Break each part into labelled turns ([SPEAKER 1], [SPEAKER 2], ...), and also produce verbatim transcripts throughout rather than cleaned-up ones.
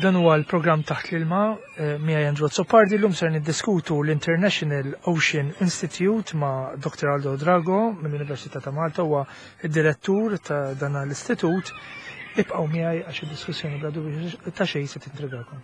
[SPEAKER 1] Dan huwa l-programm Taħt l-Ilma eh, miegħi Andrew Azzopardi. Llum ser niddiskutu l-International Ocean Institute ma' Doctor Aldo Drago mill-Università ta' Malta, huwa id-direttur ta' dan l-istitut. Ibqgħu miegħi għax id-diskussjoni bla dubju ta' xejn se tintrigakom.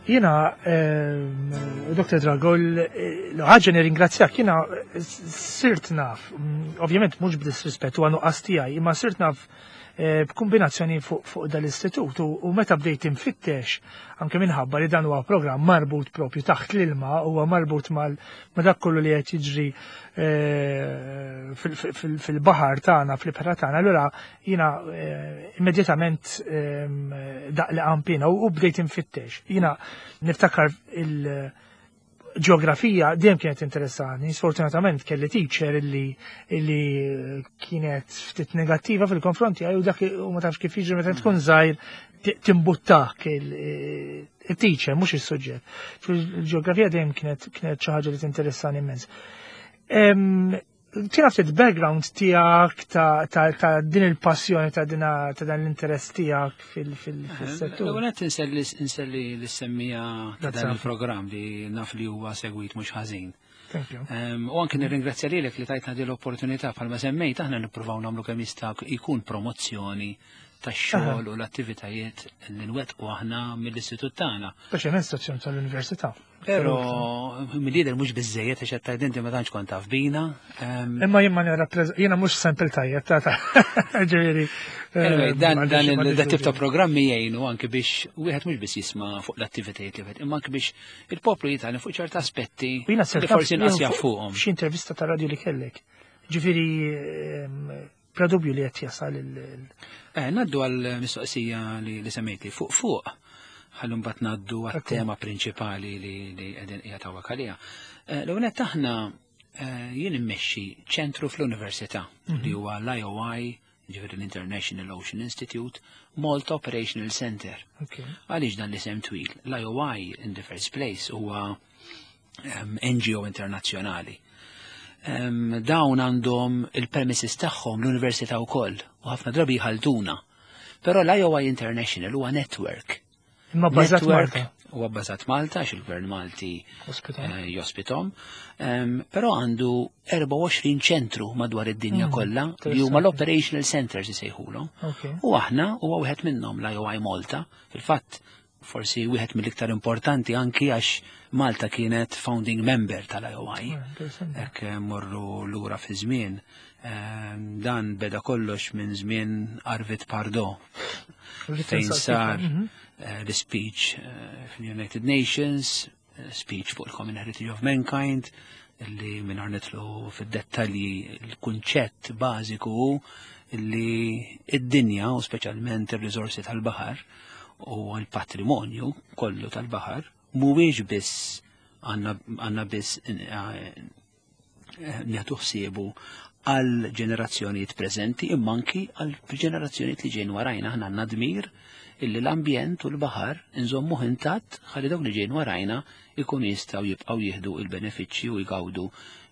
[SPEAKER 1] Jiena, Doctor Drago, l-ħaġa nirringrazzjak, jiena sirt naf, ovvjament mhux b'disrispett u għanu tiegħi, imma sirt naf b'kombinazzjoni fuq dal-istitut u meta bdejt infittex anke minħabba li dan huwa programm marbut propju taħt l-ilma, huwa marbut ma' dak kollu li qed jiġri fil-baħar tagħna, fl-ibħra tagħna, allura jiena immedjatament daq li qampina u bdejt infittex. Jiena niftakar il- ġeografija dejjem kienet interessani, sfortunatament kelli teacher illi illi kienet ftit negattiva fil-konfronti u dak u ma tafx kif jiġri meta tkun żgħir timbuttak il-teacher mhux is-suġġett. Fil-ġeografija dejjem kienet kienet xi ħaġa li tinteressani immens. Tina ftit background tiegħek ta' din il-passjoni ta' din ta' dan l-interess tiegħek fil-settur.
[SPEAKER 2] L-ewwel qed inselli l-semmija ta' dan il-programm li naf li huwa segwit mhux ħażin.
[SPEAKER 1] Thank you.
[SPEAKER 2] U anke nirringrazzja lilek li tajtna din l-opportunità bħalma semmejt aħna nippruvaw nagħmlu kemm jista' jkun promozzjoni tax-xogħol u l-attivitajiet li nwettqu aħna mill-istitut tagħna.
[SPEAKER 1] Speċjalment stazzjon tal-università.
[SPEAKER 2] Però mill-lider mhux biżejjed għax qed tgħid inti ma tantx kont taf bina.
[SPEAKER 1] Imma jien ma jiena mhux sample tajjeb ta' ġifieri.
[SPEAKER 2] Anyway, dan dan tip ta' programmi jgħinu anke biex wieħed mhux biss jisma' fuq l-attivitajiet li wieħed, imma anke biex il-poplu jitgħallem fuq ċerta aspetti li forsi inqas jaf fuqhom.
[SPEAKER 1] Xi intervista ta' radio li kellek. Ġifieri bla dubju li qed jasal il.
[SPEAKER 2] Eh, naddu għal mistoqsija li semmejtli fuq fuq. Ħallu mbagħad ngħaddu għat-tema prinċipali li qegħdin qiegħed hawnhekk għaliha. L-ewwel nett aħna jien immexxi ċentru fl-università li huwa l-I O I, ġifieri l-International Ocean Institute, Malta Operational Center. Għaliex dan l-isem twil? L-I O I in the first place huwa N G O internazzjonali. Dawn għandhom il-premises tagħhom l-università wkoll u ħafna drabi jħaltuna. Però l-I O I International huwa network.
[SPEAKER 1] Imma bbażat Malta.
[SPEAKER 2] Huwa bbażat Malta għax il-Gvern Malti jospitom. Però għandu erbgħa u għoxrin ċentru madwar id-dinja kollha li huma l-operational centers isejħulhom. U aħna huwa wieħed minnhom l-I O I Malta. Fil-fatt forsi wieħed mill-iktar importanti anki għax Malta kienet founding member tal-I O I. Hekk morru lura fi żmien. Dan beda kollox minn żmien Arvid Pardo fejn sar l-speech fil-United Nations, speech fuq il-Common Heritage of Mankind, li minn nitlu fid-dettalji l-kunċett bażiku hu li id-dinja u speċjalment ir-riżorsi tal-baħar u l-patrimonju kollu tal-baħar mhuwiex biss għandna biss nieħdu ħsiebu għal ġenerazzjonijiet preżenti imma anki għal ġenerazzjonijiet li ġejn warajna. Aħna għandna dmir illi l-ambjent u l-baħar inżommuh intatt ħalli dawk li ġejn warajna ikunu jistgħu jibqgħu jieħdu l-benefiċċji u jgawdu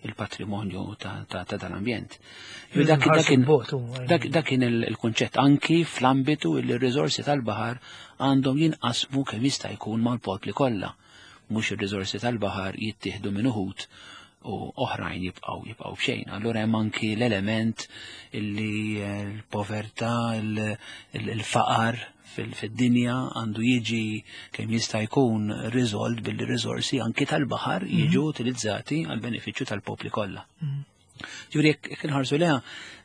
[SPEAKER 2] il-patrimonju ta' dal-ambjent. Dak kien il-kunċett anki fl-ambitu illi r-riżorsi tal-baħar għandhom jinqasmu kemm jista' jkun mal-popli kollha. Mhux ir-riżorsi tal-baħar jittieħdu minn uħud u oħrajn jibqgħu jibqgħu b'xejn. Allura hemm anki l-element illi l-povertà, il-faqar fid-dinja għandu jiġi kemm jista' jkun riżolt billi riżorsi anki tal-baħar jiġu utilizzati għal benefiċċju tal-popli kollha. Ġifieri jekk inħarsu leha,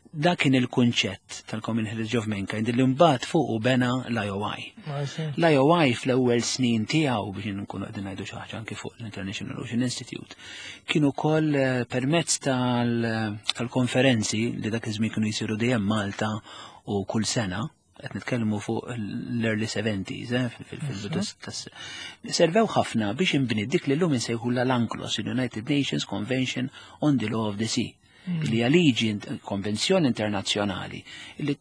[SPEAKER 2] dak kien il-kunċett tal-Common Heritage of Mankind li mbagħad fuq bena l-I O I. L-I O I fl-ewwel snin tiegħu, biex nkunu qegħdin ngħidu xi ħaġa anki fuq l-International Ocean Institute, kien ukoll eh, permezz tal-konferenzi li dak iż-żmien kienu jsiru dejjem Malta u kull sena, qed nitkellmu fuq l-early seventies, eh, fil-bidu, servew ħafna biex inbni dik li llum insejħu l-UNCLOS, United Nations Convention on the Law of the Sea, li hija liġi, konvenzjoni internazzjonali li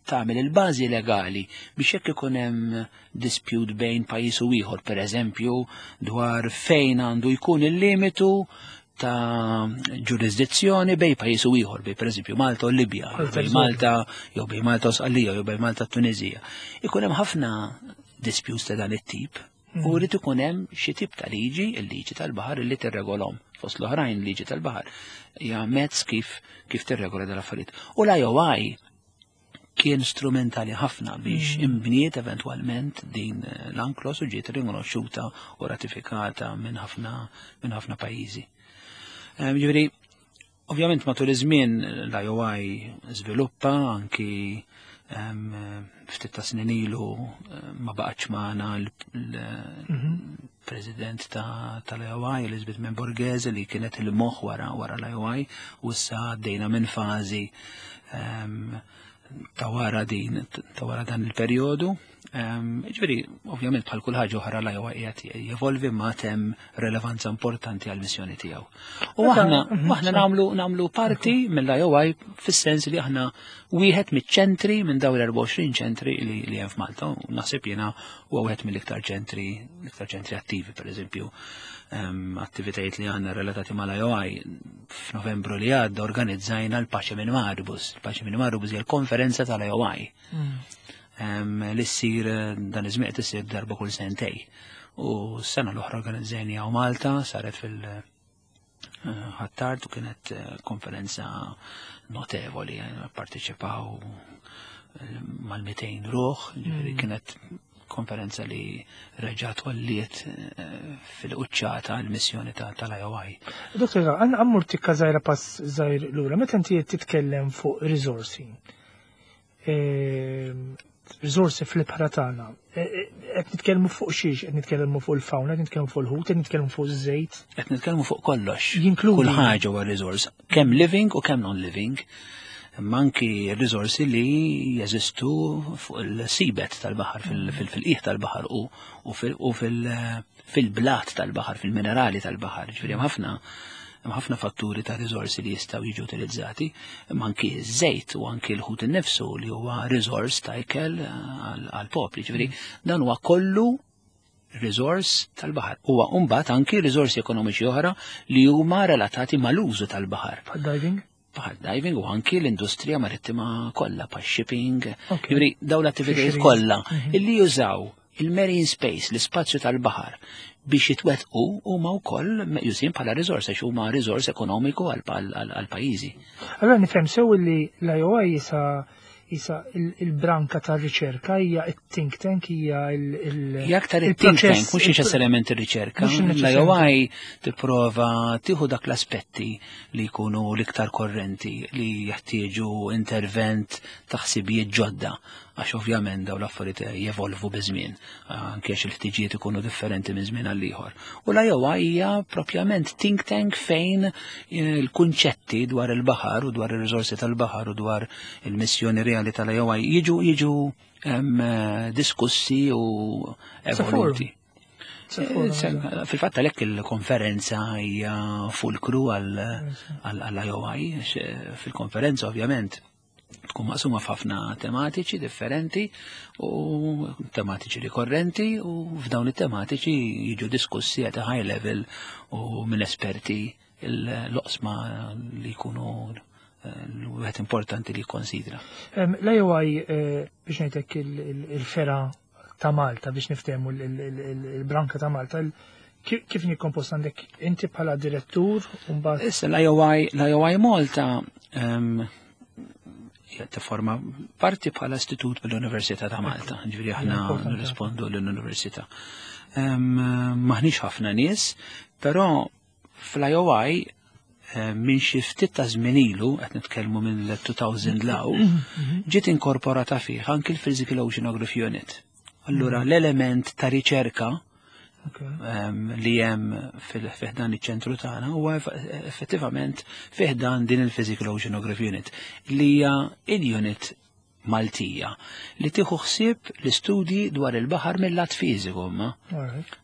[SPEAKER 2] tagħmel il-bażi legali biex jekk ikun hemm dispute bejn pajjiż u ieħor, pereżempju dwar fejn għandu jkun il-limitu ta' ġurisdizzjoni bejn pajjiż u ieħor, bejn pereżempju Malta u Libja, jew bejn Malta jew bejn Malta u Sqallija, jew bejn Malta u Tunizija. Ikun hemm ħafna disputes ta' dan it-tip u rrid ikun hemm xi tip ta' liġi, il-liġi tal-baħar li tirregolhom. Fost l-oħrajn, liġi tal-baħar hija mezz kif kif tirregola dal-affarijiet. U l-I O I kien strumentali ħafna biex mm. imbniet eventwalment din l-UNCLOS u ġiet rikonoxxuta u ratifikata minn ħafna minn ħafna pajjiżi. Ġifieri, ovvjament matul iż-żmien l-I O I żviluppa anki ftit ta' snin ilu ma baqgħetx magħna l-president tal-I O I, Elizabeth Mem Borghese, li kienet il-moħħ wara wara l-I O I, u issa għaddejna minn fażi ta' wara din ta' wara dan il-perjodu. Ġifieri, ovvjament bħal kull ħaġa oħra l-I O I qiegħed jevolvi ma hemm relevanza importanti għal missjoni tiegħu. U aħna mhm, aħna nagħmlu nagħmlu parti mill-I O I fis-sens li aħna wieħed miċ-ċentri minn dawn l-erbgħa u għoxrin ċentri li li hemm f'Malta. U naħseb jiena huwa wieħed mill-iktar ċentri l-iktar ċentri attivi. Pereżempju, attivitajiet li għandna relatati mal-I O I, f'Novembru li għadda organizzajna l-Pace in Maribus. Il-Pace in Maribus hija l-konferenza tal-I O I Mm. Li ssir dan iż-żmien issir darba kull sentej. U s-sena l-oħra organizzajna u Malta, saret fil- Ħ'Attard u kienet eh, konferenza notevoli, eh, parteċipaw mal-mitejn ruħ, ġifieri mm. kienet konferenza li reġat għolliet eh, fil-quċċata l-missjoni tal-I O I.
[SPEAKER 1] Doktor, għan għammur tikka żgħira, pass żgħir lura, meta inti titkellem fuq risorsi, risorsi fl-ibħra tagħna, e, e, qed nitkellmu fuq xiex, qed nitkellmu fuq il-fauna, qed nitkellmu fuq il-ħut, qed nitkellmu fuq iż-żejt?
[SPEAKER 2] Qed nitkellmu fuq kollox. Jinkludi. Kull ħaġa huwa riżors, kemm living u kemm non-living. Imma anki riżorsi li jeżistu fuq il-seabed tal-baħar, fil-qiegħ tal-baħar u fil-blat tal-baħar, fil-minerali tal-baħar. Ġifieri hemm ħafna hemm ħafna fatturi ta' riżorsi li jistgħu jiġu utilizzati, imma anki żejt u anki l-ħut innifsu li huwa riżors ta' ikel għal-popli. Ġifieri dan huwa kollu riżors tal-baħar. Huwa mbagħad anki riżorsi ekonomiċi oħra li huma relatati mal-użu tal-baħar.
[SPEAKER 1] Diving?
[SPEAKER 2] Bħal diving u anki l-industrija marittima kollha, bħal shipping, ġifieri dawn l-attivitajiet kollha mhm. illi jużaw il-marine space, l-ispazju tal-baħar, biex jitwetqu huma wkoll meqjusin bħala riżors għax huma riżors ekonomiku għal pajjiżi.
[SPEAKER 1] Allora nifhem sew li l-I O I jisa jisa il-branka ta' riċerka, hija il-think tank, hija il-
[SPEAKER 2] Hija aktar il-think tank, mhux neċessarjament ir-riċerka. L-I O I tipprova tieħu dak l-aspetti li jkunu l-iktar korrenti li jeħtieġu intervent ta' ħsibijiet ġodda, għax ovvjament daw l-affarijiet jevolvu biż-żmien, anke għax il-ħtiġijiet ikunu differenti minn żmien għal ieħor. U l-I O I hija propjament think tank fejn il-kunċetti dwar il-baħar u dwar ir-riżorsi tal-baħar u dwar il-missjoni reali tal-I O I jiġu jiġu diskussi u evoluti. Fil-fatt għalhekk il-konferenza hija fulkru għall-I O I, fil-konferenza ovvjament tkun maqsuma f'ħafna tematiċi differenti u tematiċi rikorrenti, u f'dawn it-tematiċi jiġu diskussi at a high level u minn esperti l-oqsma li jkunu eh, l-wieħed importanti li jikkonsidra.
[SPEAKER 1] L-I O I, eh, biex ngħidlek, il-fergħa ta' Malta, biex niftehmu, il-branka ta' Malta, Kif nikkompost għandek inti bħala direttur u mbagħad?
[SPEAKER 2] Issa l-I O I l-I O I Malta um, forma parti bħala istitut mill-Università ta' Malta, ġifieri aħna nirrispondu l-Università. Um, Maħniex ħafna nies, però fl-I O I minn xi ftit ta' żmien ilu, qed nitkellmu minn elfejn 'l hawn, ġiet inkorporata fih anki l-Physical Oceanography Unit. Allura l-element ta' riċerka li hemm fi ħdan iċ-ċentru tagħna huwa effettivament fi ħdan din il-Physical Oceanography Unit, li hija il-unit Maltija li tieħu ħsieb l-istudji dwar il-baħar mill-lat fiżiku, ma.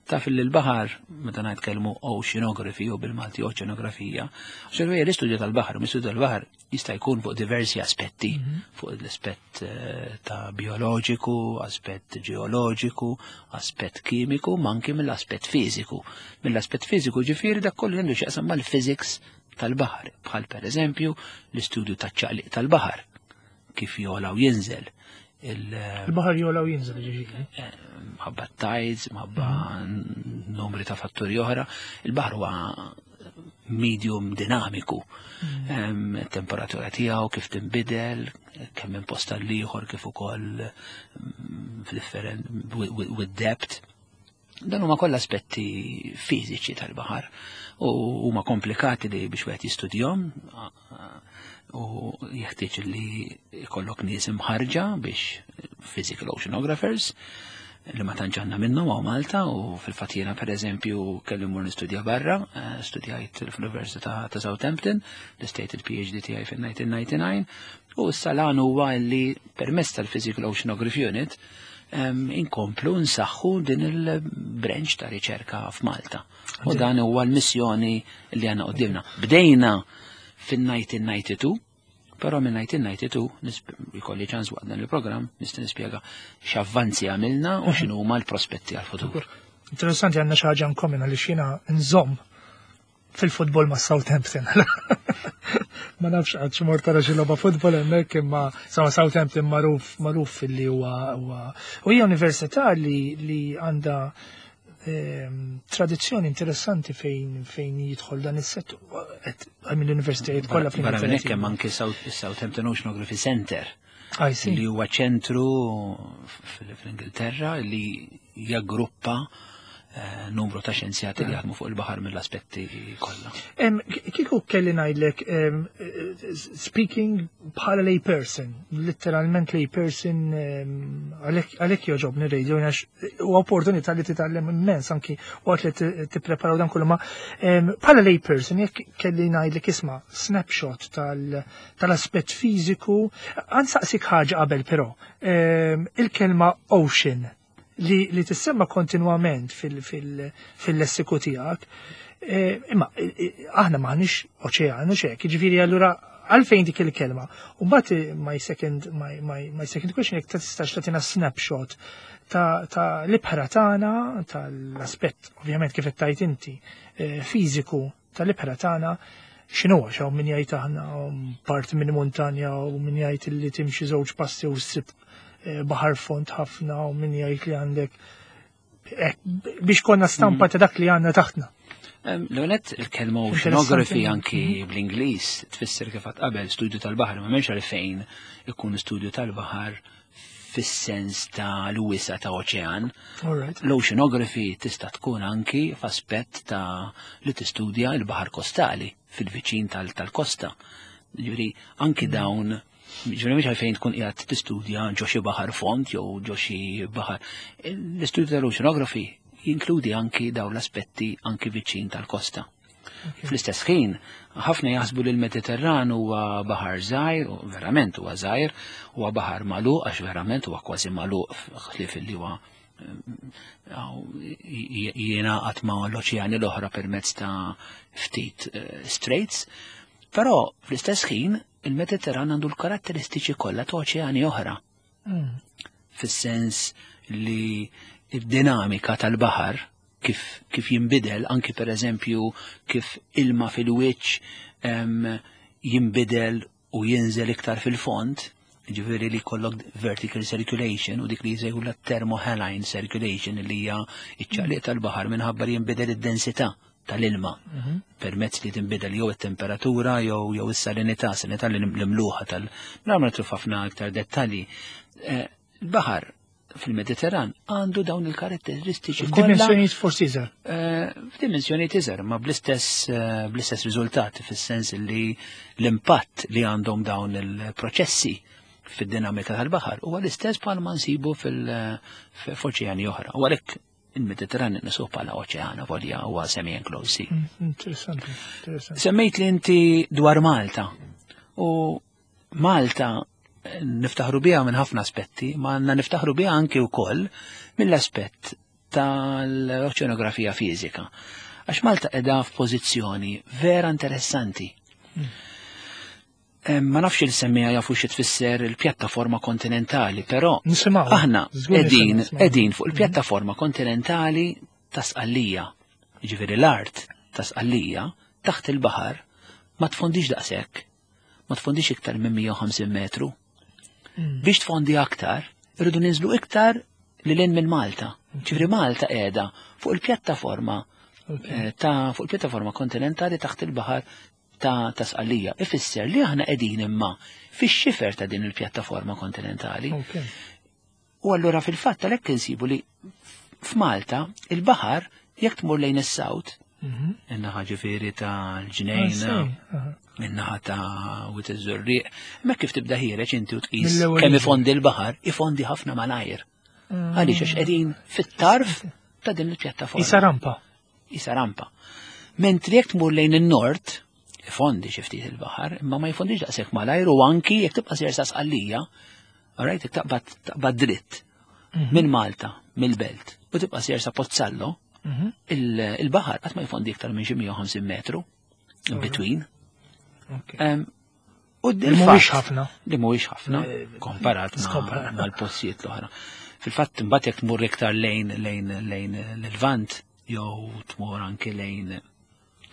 [SPEAKER 2] Taf li l-baħar, meta ngħidkelmu oceanography u bil-Malti oċeanografija, għax l-istudju tal-baħar, l-istudju tal-baħar jista' jkun fuq diversi aspetti, mhm. fuq l-aspett eh, ta' bioloġiku, aspett ġeoloġiku, aspett kimiku, ma anki mill-aspett fiżiku. Mill-aspett fiżiku, ġifieri, dak kollu għandu x'jaqsam mal-physics tal-baħar, bħal per eżempju l-istudju taċ-ċaqliq tal-baħar, kif jogħla u jinżel.
[SPEAKER 1] Il-baħar jogħla u jinżel, ġifieri?
[SPEAKER 2] Eh, mħabba tides, mħabba mhm. numri ta' fatturi oħra. Il-baħar huwa medium dinamiku. Mhm. Temperatura tiegħu kif tinbidel, kemm minn post għal ieħor, kif ukoll mm, with depth. Dan huma kollha aspetti fiżiċi tal-baħar u huma komplikati li biex wieħed jistudjahom u jeħtieġ li jkollok nies imħarġa biex, physical oceanographers, li ma tantx għandna minnhom hawn Malta. U fil-fatt jiena, pereżempju, kelli mmur nistudja barra, eh, studjajt fl-Università ta' Southampton, l-istejt il-P H D tiegħi fil-elf disa' mija u disgħa u disgħin, u issa l huwa li permezz tal-Physical Oceanography Unit inkomplu nsaħħu din il-branch ta' riċerka f'Malta. U dan huwa l-missjoni li għandna quddiemna. Bdejna fin-elf disa' mija u disgħa u disgħin, però minn elf disa' mija u disgħa u disgħin jkolli ċans waqt dan il-programm nista' nispjega x'avvanzi għamilna u x'inhu huma l-prospetti għal-futur.
[SPEAKER 1] Interessanti, għandna xi ħaġa in common għaliex jiena nżomm fil-futbol ma' Southampton. Ma nafx għad xi mort tara xi logħba futbol hemmhekk, imma sama Southampton magħruf magħruf li huwa u hija università li li għandha ehm, tradizzjoni interessanti fejn fejn jidħol dan is-settur mill-universitajiet kollha.
[SPEAKER 2] Barra minn hekk hemm anke Southampton Oceanography Center, li huwa ċentru fl-Ingilterra li jaggruppa eh, numru ta' xjenzjati li jaħdmu fuq il-baħar mill-aspetti kollha.
[SPEAKER 1] Kieku kelli ngħidlek, speaking bħala lay person, literalment lay person, għalhekk jogħġobni radio għax u opportunità li titgħallem immens anki waqt li tippreparaw dan kollu, ma bħala lay person, jekk kelli ngħidlek, isma', snapshot tal-aspett fiżiku, ħa nsaqsik ħaġa qabel però, il-kelma ocean li, li tissemma kontinwament fil-lessiku tiegħek. Eh, imma eh, eh, aħna m'aħniex oċeanu xek, ġifieri allura għalfejn dik il-kelma? U mbagħad my second my, my, my second question, jekk tistax tagħtina snapshot ta', ta l-ibħra tagħna, tal-aspett ovvjament, kif qed tgħid inti, fiżiku tal-ibħra tagħna, x'inhu, għax hawn min jgħid aħna parti minn montanja u min jgħid li timxi żewġ passi u ssib Eh, baħar fond ħafna u min jgħid li għandek eh, biex konna stampa mm. ta' dak li għandna taħtna.
[SPEAKER 2] L-għonet, il-kelma oceanography anki mhm. bl-Ingliż tfisser, kif qabel, studju tal-baħar, ma m'hemmx għalfejn ikun studju tal-baħar fis-sens ta' l-wisa ta' oċean. L-oceanography tista' tkun anki f'aspett ta' li tistudja l-baħar kostali fil-viċin tal-kosta. Ġifieri anki mm. dawn, ġifieri mhux għalfejn tkun qiegħed tistudja ġo xi baħar fond jew ġo xi baħar. L-istudju tal-oceanography jinkludi anki dawn l-aspetti anki viċin tal-kosta. Fl-istess ħin, ħafna jaħsbu li l-Mediterran huwa baħar żgħir, u verament huwa żgħir, huwa baħar magħluq, għax verament huwa kważi magħluq ħlief li huwa jingħaqad ma' l-oċeani l-oħra permezz ta' ftit eh, straits, però fl-istess ħin il-Mediterran għandu l-karatteristiċi kollha ta' oċeani oħra. Mm. Fis-sens li id-dinamika tal-baħar kif, kif jinbidel, anki per eżempju kif ilma fil-wiċċ jinbidel u jinżel iktar fil-fond, Ġifieri li jkollok vertical circulation u dik li jsejħu la thermohaline circulation, li hija iċ-ċaqliq tal-baħar minħabba li jinbidel id-densità tal-ilma
[SPEAKER 1] Mhm.
[SPEAKER 2] permezz li tinbidel jew it-temperatura jew jew is-salinità, salinità li l-imluħa tal. Ma nidħlux ħafna aktar dettalji. Eh, Il-baħar fil-Mediterran għandu dawn il-karatteristiċi kollha.
[SPEAKER 1] Dimensjonijiet forsi iżgħar.
[SPEAKER 2] Eh, F'dimensjonijiet iżgħar, ma bl-istess eh, bl-istess riżultati, fis-sens li l-impatt li għandhom dawn il-proċessi fid-dinamika tal-baħar huwa l-istess bħal ma nsibu fil-oċeani oħra. U għalhekk il-Mediterran nisuh bħala oċean, volja huwa semi-enclosed sea.
[SPEAKER 1] Mm, Interessanti, interessanti.
[SPEAKER 2] Semmejt li inti dwar Malta. U Malta eh, niftaħru biha minn ħafna aspetti, ma għandna niftaħru biha anki wkoll mill-aspett tal-oċeanografija fiżika. Għax Malta qiegħda f'pożizzjoni vera interessanti. Eh, Ma nafx il-semmiegħa jafu xi tfisser il-pjattaforma kontinentali, però
[SPEAKER 1] Nisimgħu.
[SPEAKER 2] aħna
[SPEAKER 1] Żgur
[SPEAKER 2] qegħdin
[SPEAKER 1] nisimgħu.
[SPEAKER 2] qegħdin fuq il-pjattaforma kontinentali ta' Sqallija. Jiġifieri l-art ta' Sqallija taħt il-baħar ma tfondix daqshekk. Ma tfondix iktar minn mija u ħamsin metru.
[SPEAKER 1] Mm.
[SPEAKER 2] Biex tfondi aktar, irridu ninżlu iktar lil hinn minn Malta. Ġifieri Malta qiegħda fuq il-pjattaforma
[SPEAKER 1] Ok.
[SPEAKER 2] eh, ta' fuq il-pjattaforma kontinentali taħt il-baħar ta' ta' Sqallija. Ifisser li aħna qegħdin imma fix-xifer ta' din il-pjattaforma kontinentali.
[SPEAKER 1] Ok.
[SPEAKER 2] U allura fil-fatt għalhekk insibu li f'Malta il-baħar, jekk tmur lejn is-south,
[SPEAKER 1] Mhm.
[SPEAKER 2] in-naħa ġifieri ta'
[SPEAKER 1] Ah,
[SPEAKER 2] l-Ġnejna,
[SPEAKER 1] sej, aha.
[SPEAKER 2] in-naħa ta' Wied iż-Żurrieq, hemmhekk kif tibda ħiereġ inti u tqis
[SPEAKER 1] Mill-ewwel
[SPEAKER 2] kemm
[SPEAKER 1] jiġi.
[SPEAKER 2] ifondi l-baħar, ifondi ħafna malajr.
[SPEAKER 1] Mm.
[SPEAKER 2] Għaliex? Għax qegħdin fit-tarf ta' din il-pjattaforma.
[SPEAKER 1] Isa rampa.
[SPEAKER 2] Isa rampa. Mentri jekk tmur lejn in-nord, ifondi xi ftit il-baħar, imma ma jfondix daqshekk malajr, u anki jekk tibqa' sejjer sa Sqallija, alright, jekk taqbad taqbad dritt
[SPEAKER 1] Mhm.
[SPEAKER 2] minn Malta, mill-belt, u tibqa' sejjer sa Pozzallo,
[SPEAKER 1] Mhm.
[SPEAKER 2] il- il-baħar qatt ma jfondi iktar minn xi mija u ħamsin metru in between.
[SPEAKER 1] Ok.
[SPEAKER 2] Em, U
[SPEAKER 1] Li mhuwiex ħafna.
[SPEAKER 2] Li mhuwiex ħafna
[SPEAKER 1] Eh,
[SPEAKER 2] komparat ma-
[SPEAKER 1] skomparat.
[SPEAKER 2] mal-postijiet l-oħra. Fil-fatt imbagħad jekk tmur iktar lejn lejn lejn l-Lvant jew tmur anke lejn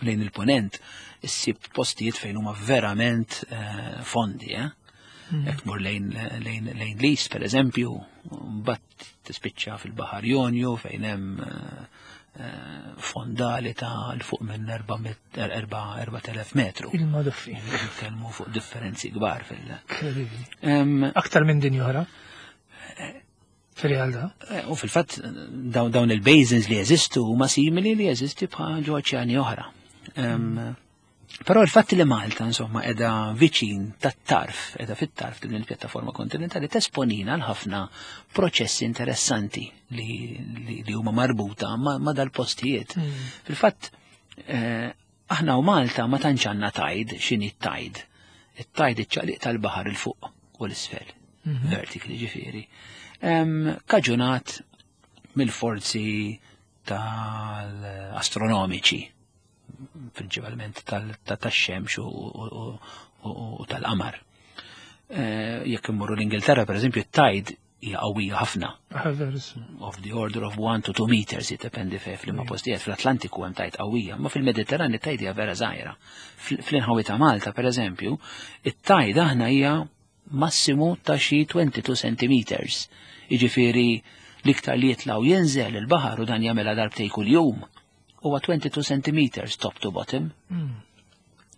[SPEAKER 2] lejn il-Ponent, issib postijiet fejn huma verament eh, fondi, eh?
[SPEAKER 1] Mm.
[SPEAKER 2] Jekk tmur lejn lejn lejn l-East, per eżempju, mbagħad tispiċċa fil-Baħar Jonju fejn hemm eh, eh, fondali ta' 'l fuq minn erbat elef metru.
[SPEAKER 1] Il-madoffi.
[SPEAKER 2] Nitkellmu fuq differenzi kbar fil-
[SPEAKER 1] Incredibili.
[SPEAKER 2] Em,
[SPEAKER 1] Aktar minn din oħra. Fil-realtà.
[SPEAKER 2] eh, U fil-fatt dawn dawn il-basins li jeżistu huma simili li jeżisti bħal ġo oċeani oħra. Em, Però il-fatt li Malta insomma qiegħda viċin tat-tarf, qiegħda fit-tarf din il-pjattaforma kontinentali, tesponina għal ħafna proċessi interessanti li, li, li huma marbuta ma, ma dal-postijiet.
[SPEAKER 1] Mm.
[SPEAKER 2] Fil-fatt, eh, aħna u Malta ma tantx għandna tide. X'inhi t-tide? It-tide iċ-ċaqliq tal-baħar 'il fuq u 'l isfel,
[SPEAKER 1] Mhm.
[SPEAKER 2] vertically ġifieri. Em, Kaġunat mill-forzi tal-astronomiċi, prinċipalment tal-xemx u, u, u, u tal-qamar. Eh, Jekk immorru l-Ingilterra, per eżempju, it-tide hija qawwija ħafna,
[SPEAKER 1] Ah, verissimo.
[SPEAKER 2] of the order of one to two meters, jiddependi fe f'liema postijiet. Fl-Atlantiku hemm tide qawwija, ma fil-Mediterran it-tide hija vera żgħira. Fl-inħawi ta' Malta, per eżempju, it-tide aħna hija massimu ta' xi twenty-two centimeters. Jiġifieri l-iktar li jitlgħu jinżel il-baħar, u dan jagħmilha darbtej kuljum, huwa twenty-two centimeters top to bottom.
[SPEAKER 1] Mm.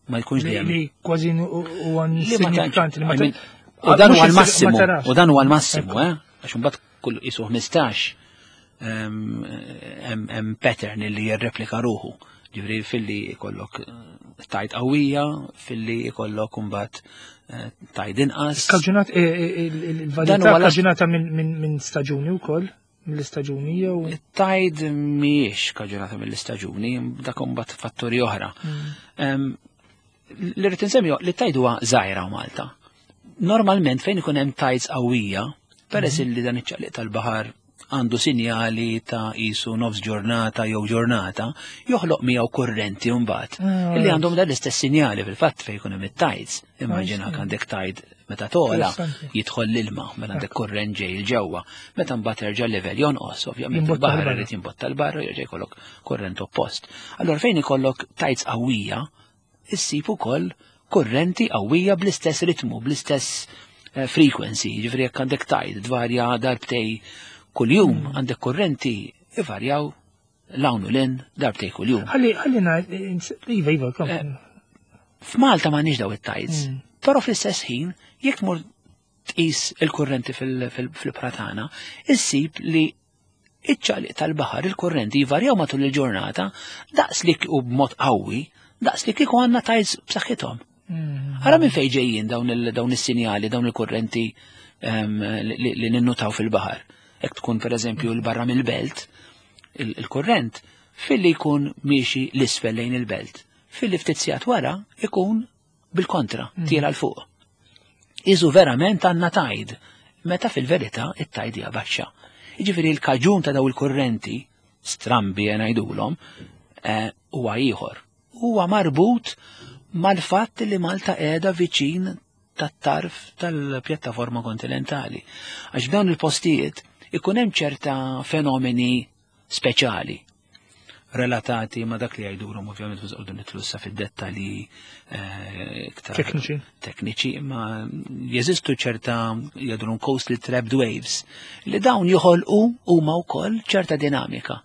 [SPEAKER 2] Ma jkunx
[SPEAKER 1] Li
[SPEAKER 2] dejjem
[SPEAKER 1] li kważi huwa
[SPEAKER 2] li ma
[SPEAKER 1] insignifikanti. Li ma
[SPEAKER 2] I mean,
[SPEAKER 1] ta-
[SPEAKER 2] u dan
[SPEAKER 1] mhux
[SPEAKER 2] huwa
[SPEAKER 1] insi-
[SPEAKER 2] l-massimu,
[SPEAKER 1] ma tarax.
[SPEAKER 2] U dan huwa l-massimu,
[SPEAKER 1] Ekku.
[SPEAKER 2] eh? Għax imbagħad kull isu ħmistax hemm hemm pattern li jirreplika ruħu. Ġifieri filli jkollok eh, tide qawwija, filli jkollok imbagħad eh, tide inqas.
[SPEAKER 1] Kaġunat, eh, eh, il- il-
[SPEAKER 2] Dan
[SPEAKER 1] il-varjetà
[SPEAKER 2] huwa l-
[SPEAKER 1] kaġunata minn min, min staġuni wkoll, mill-istaġuni jew.
[SPEAKER 2] It-tide mhijiex kaġunata mill-istaġuni, dak imbagħad fatturi oħra. Em, Li rrid insemmi li t-tide huwa żgħira Malta. Normalment fejn ikun hemm tides qawwija, peress li dan iċ-ċaqliq tal-baħar għandu sinjali ta' isu nofs ġurnata jew ġurnata, joħloq miegħu kurrenti mbagħad
[SPEAKER 1] Ah,
[SPEAKER 2] illi għandhom dan l-istess sinjali fil-fatt fejn ikun hemm it-tides. Immaġina
[SPEAKER 1] see.
[SPEAKER 2] għandek tide meta tola
[SPEAKER 1] Interessanti.
[SPEAKER 2] jidħol l-ilma, mela għandek kurrent ġej 'il ġewwa. Meta mbagħad terġa' level jonqos, ovvjament
[SPEAKER 1] Jimbotta
[SPEAKER 2] il-baħar
[SPEAKER 1] 'l barra.
[SPEAKER 2] irid jimbotta 'l barra, jerġa' jkollok kurrent oppost. Allora fejn ikollok tides qawwija, issib ukoll kurrenti qawwija bl-istess ritmu, bl-istess eh, frequency, ġifieri jekk għandek tide tvarja darbtejn kuljum, mm. għandek kurrenti ivarjaw 'l hawn u 'l hinn darbtejn kuljum.
[SPEAKER 1] Ħalli, ħalli iva, iva,
[SPEAKER 2] eh, F'Malta m'għandniex daw it-tides, mm. però fl-istess ħin, jekk tmur tqis il-kurrenti fil-ibħra tagħna, issib li iċ-ċaqliq tal-baħar, il-kurrenti jvarjaw matul il-ġurnata daqs li u b'mod qawwi, daqs li kieku għandna tides b'saħħithom. Mm. Ara minn fejn ġejjin dawn is-sinjali, dawn il-kurrenti li ninnutaw fil-baħar. Jekk tkun, per eżempju, 'l barra mill-belt, il-kurrent filli jkun miexi 'l isfel lejn il-belt. Filli ftit sigħat wara ikun bil-kontra, mm. tiela' 'l fuq. Iżu verament għandna tide, meta fil-verità it-tide hija baxxa. Jiġifieri l-kaġun ta' daw il-kurrenti, strambi ngħidulhom, eh, huwa ieħor. Huwa marbut mal-fatt li Malta qiegħda viċin tat-tarf tal-pjattaforma kontinentali. Għax f'dawn il-postijiet ikun hemm ċerta fenomeni speċjali relatati ma dak li jgħidulhom, ovvjament mhux qogħdu nidħlu fid-dettalji eh,
[SPEAKER 1] iktar tekniċi.
[SPEAKER 2] Tekniċi, imma jeżistu ċerta jgħidulhom coastal trapped waves li dawn joħolqu huma wkoll ċerta dinamika.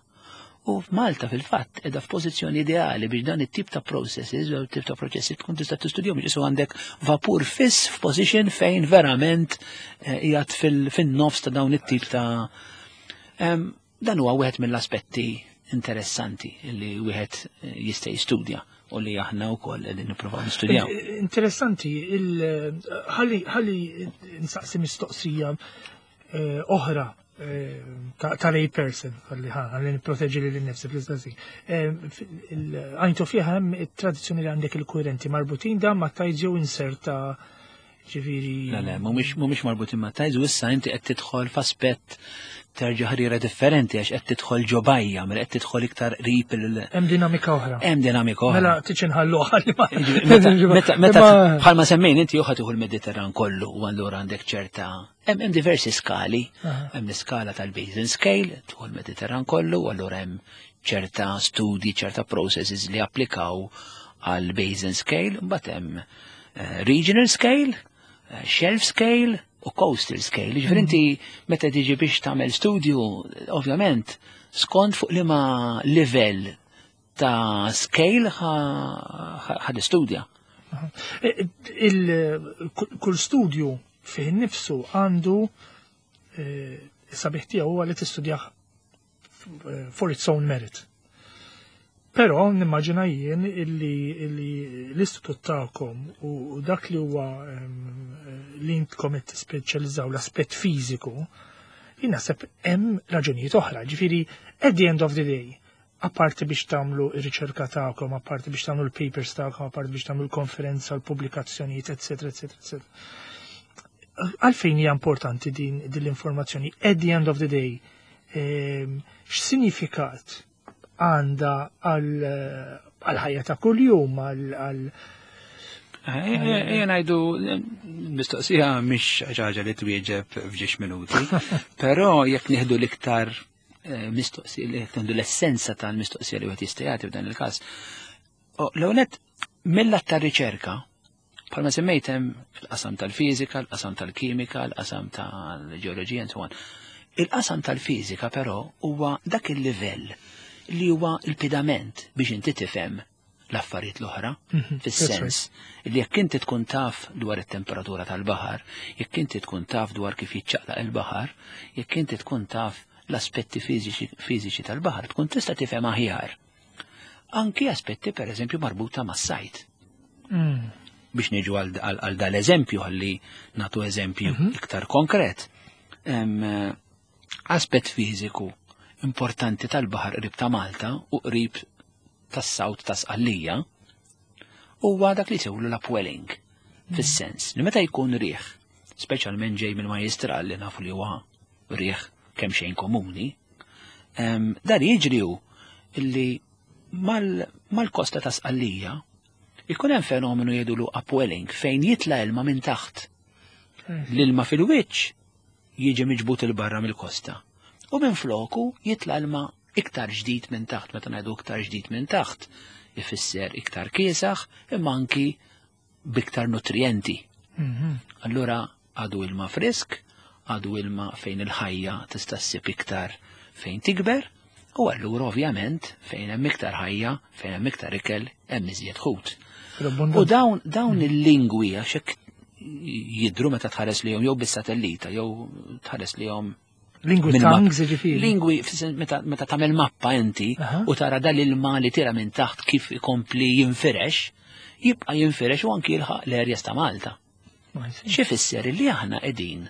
[SPEAKER 2] U f'Malta fil-fatt qiegħda f'pożizzjoni ideali biex dan it-tip ta' processes u tip ta' proċessi tkun tista' tistudjahom, ġisu għandek vapur fiss f'position fejn verament eh, qiegħed fin-nofs ta' dawn it-tip ta' Dan huwa wieħed mill-aspetti interessanti li wieħed eh, jista' jistudja u li aħna wkoll qegħdin nippruvaw nistudjaw.
[SPEAKER 1] Interessanti, ħalli nsaqsi mistoqsija eh, oħra eh, ta' lay person, ħalli ħalli nipproteġi lili nnifsi fl-istess. Għajntu fiha hemm it-tradizzjoni li għandek il-kurrenti marbutin da ma' tides jew inserta, ġifieri.
[SPEAKER 2] Le, le, mhumiex marbutin ma' tides, u issa inti qed tidħol f'aspett terġa' ħrira differenti għax qed tidħol ġo bajja, mela qed tidħol iktar qrib il
[SPEAKER 1] Hemm dinamika oħra.
[SPEAKER 2] Hemm dinamika oħra.
[SPEAKER 1] Mela tiġi nħallu ħalli ma.
[SPEAKER 2] Meta meta bħalma semmejn inti joħad tieħu l-Mediterran kollu u allura għandek ċerta hemm hemm diversi skali. Hemm l-iskala tal-basin scale, tieħu l-Mediterran kollu, u allura hemm ċerta studi, ċerta processes li applikaw għal basin scale, mbagħad hemm eh, regional scale, eh, shelf scale u coastal scale. Ġifieri inti meta tiġi biex tagħmel studju, ovvjament, skont fuq liema livell ta' scale ħa tistudja.
[SPEAKER 1] Kull studju fih nifsu għandu eh, sabiħ tiegħu, huwa li tistudjah for its own merit. Però nimmaġina jien illi l-istitut tagħkom u dak li huwa li intkom qed tispeċjalizzaw l-aspett fiżiku, jien naħseb hemm raġunijiet oħra. Ġifieri, at the end of the day, apparti biex tagħmlu r-riċerka tagħkom, apparti biex tagħmlu l-papers tagħkom, apparti biex tagħmlu l-konferenza, l-pubblikazzjonijiet, eċetera, eċetera, eċetera. Għalfejn hija importanti din din l-informazzjoni? At the end of the day, x'sinifikat għandha għal-ħajja ta' kuljum, għal
[SPEAKER 2] Ejja ngħidu, mistoqsija mhix ħaġa li twieġeb f'ġiex minuti, però jekk nieħdu l-iktar eh, mistoqsija, li nieħdu l-essenza tal-mistoqsija li wieħed jista' jagħti f'dan il-każ. L-ewwel, mill-lat tar-riċerka, bħalma semmejt, hemm il-qasam tal-fiżika, il-qasam tal-kimika, il-qasam tal-ġeoloġija, and so on. Il-qasam tal-fiżika però huwa dak il-livell li huwa il-pedament biex inti tifhem l-affarijiet l-oħra, mhm, fis-sens li jekk inti tkun taf dwar it-temperatura tal-baħar, jekk inti tkun taf dwar kif jiċċaqlaq il-baħar, jekk inti tkun taf l-aspetti fiżiċi tal-baħar, tkun tista' tifhem aħjar anki aspetti, per eżempju, marbuta mas-sajd. Mm. Biex niġu għal dal-eżempju, għalli nagħtu eżempju mhm. iktar konkret. Aspett fiżiku importanti tal-baħar qrib ta' Malta u qrib tas-south ta' Sqallija huwa dak li jsejħulu l-upwelling. Fis-sens li meta jkun riħ, speċjalment ġej minn majjistral li nafu li huwa riħ kemm xejn komuni, dan jiġri hu illi mal-kosta ta' Sqallija ikun hemm fenomenu jgħidulu upwelling fejn jitla ilma minn taħt. L-ilma fil-wiċċ jiġi miġbut 'il barra mill-kosta. U minn floku jitla ilma iktar ġdid minn taħt. Meta ngħidu iktar ġdid minn taħt, ifisser iktar kiesaħ imma anki biktar nutrienti. Mhm. Allura Għadu ilma frisk, għadu ilma fejn il-ħajja tista' ssib iktar fejn tikber, u allura ovvjament fejn hemm iktar ħajja, fejn hemm iktar ikel, hemm iżjed ħut. U dawn dawn il-lingwi, għax hekk jidru meta tħares lejhom jew bis-satellita jew tħares lejhom
[SPEAKER 1] Lingwi
[SPEAKER 2] minn map-
[SPEAKER 1] tongues, ġifieri.
[SPEAKER 2] Lingwi, fis-sens meta, meta tagħmel mappa inti
[SPEAKER 1] Aha.
[SPEAKER 2] u tara dal-ilma li tira minn taħt kif ikompli jinfirex, jibqa' jinfirex u anki jilħaq l-areas ta' Malta. Xi fisser li aħna qegħdin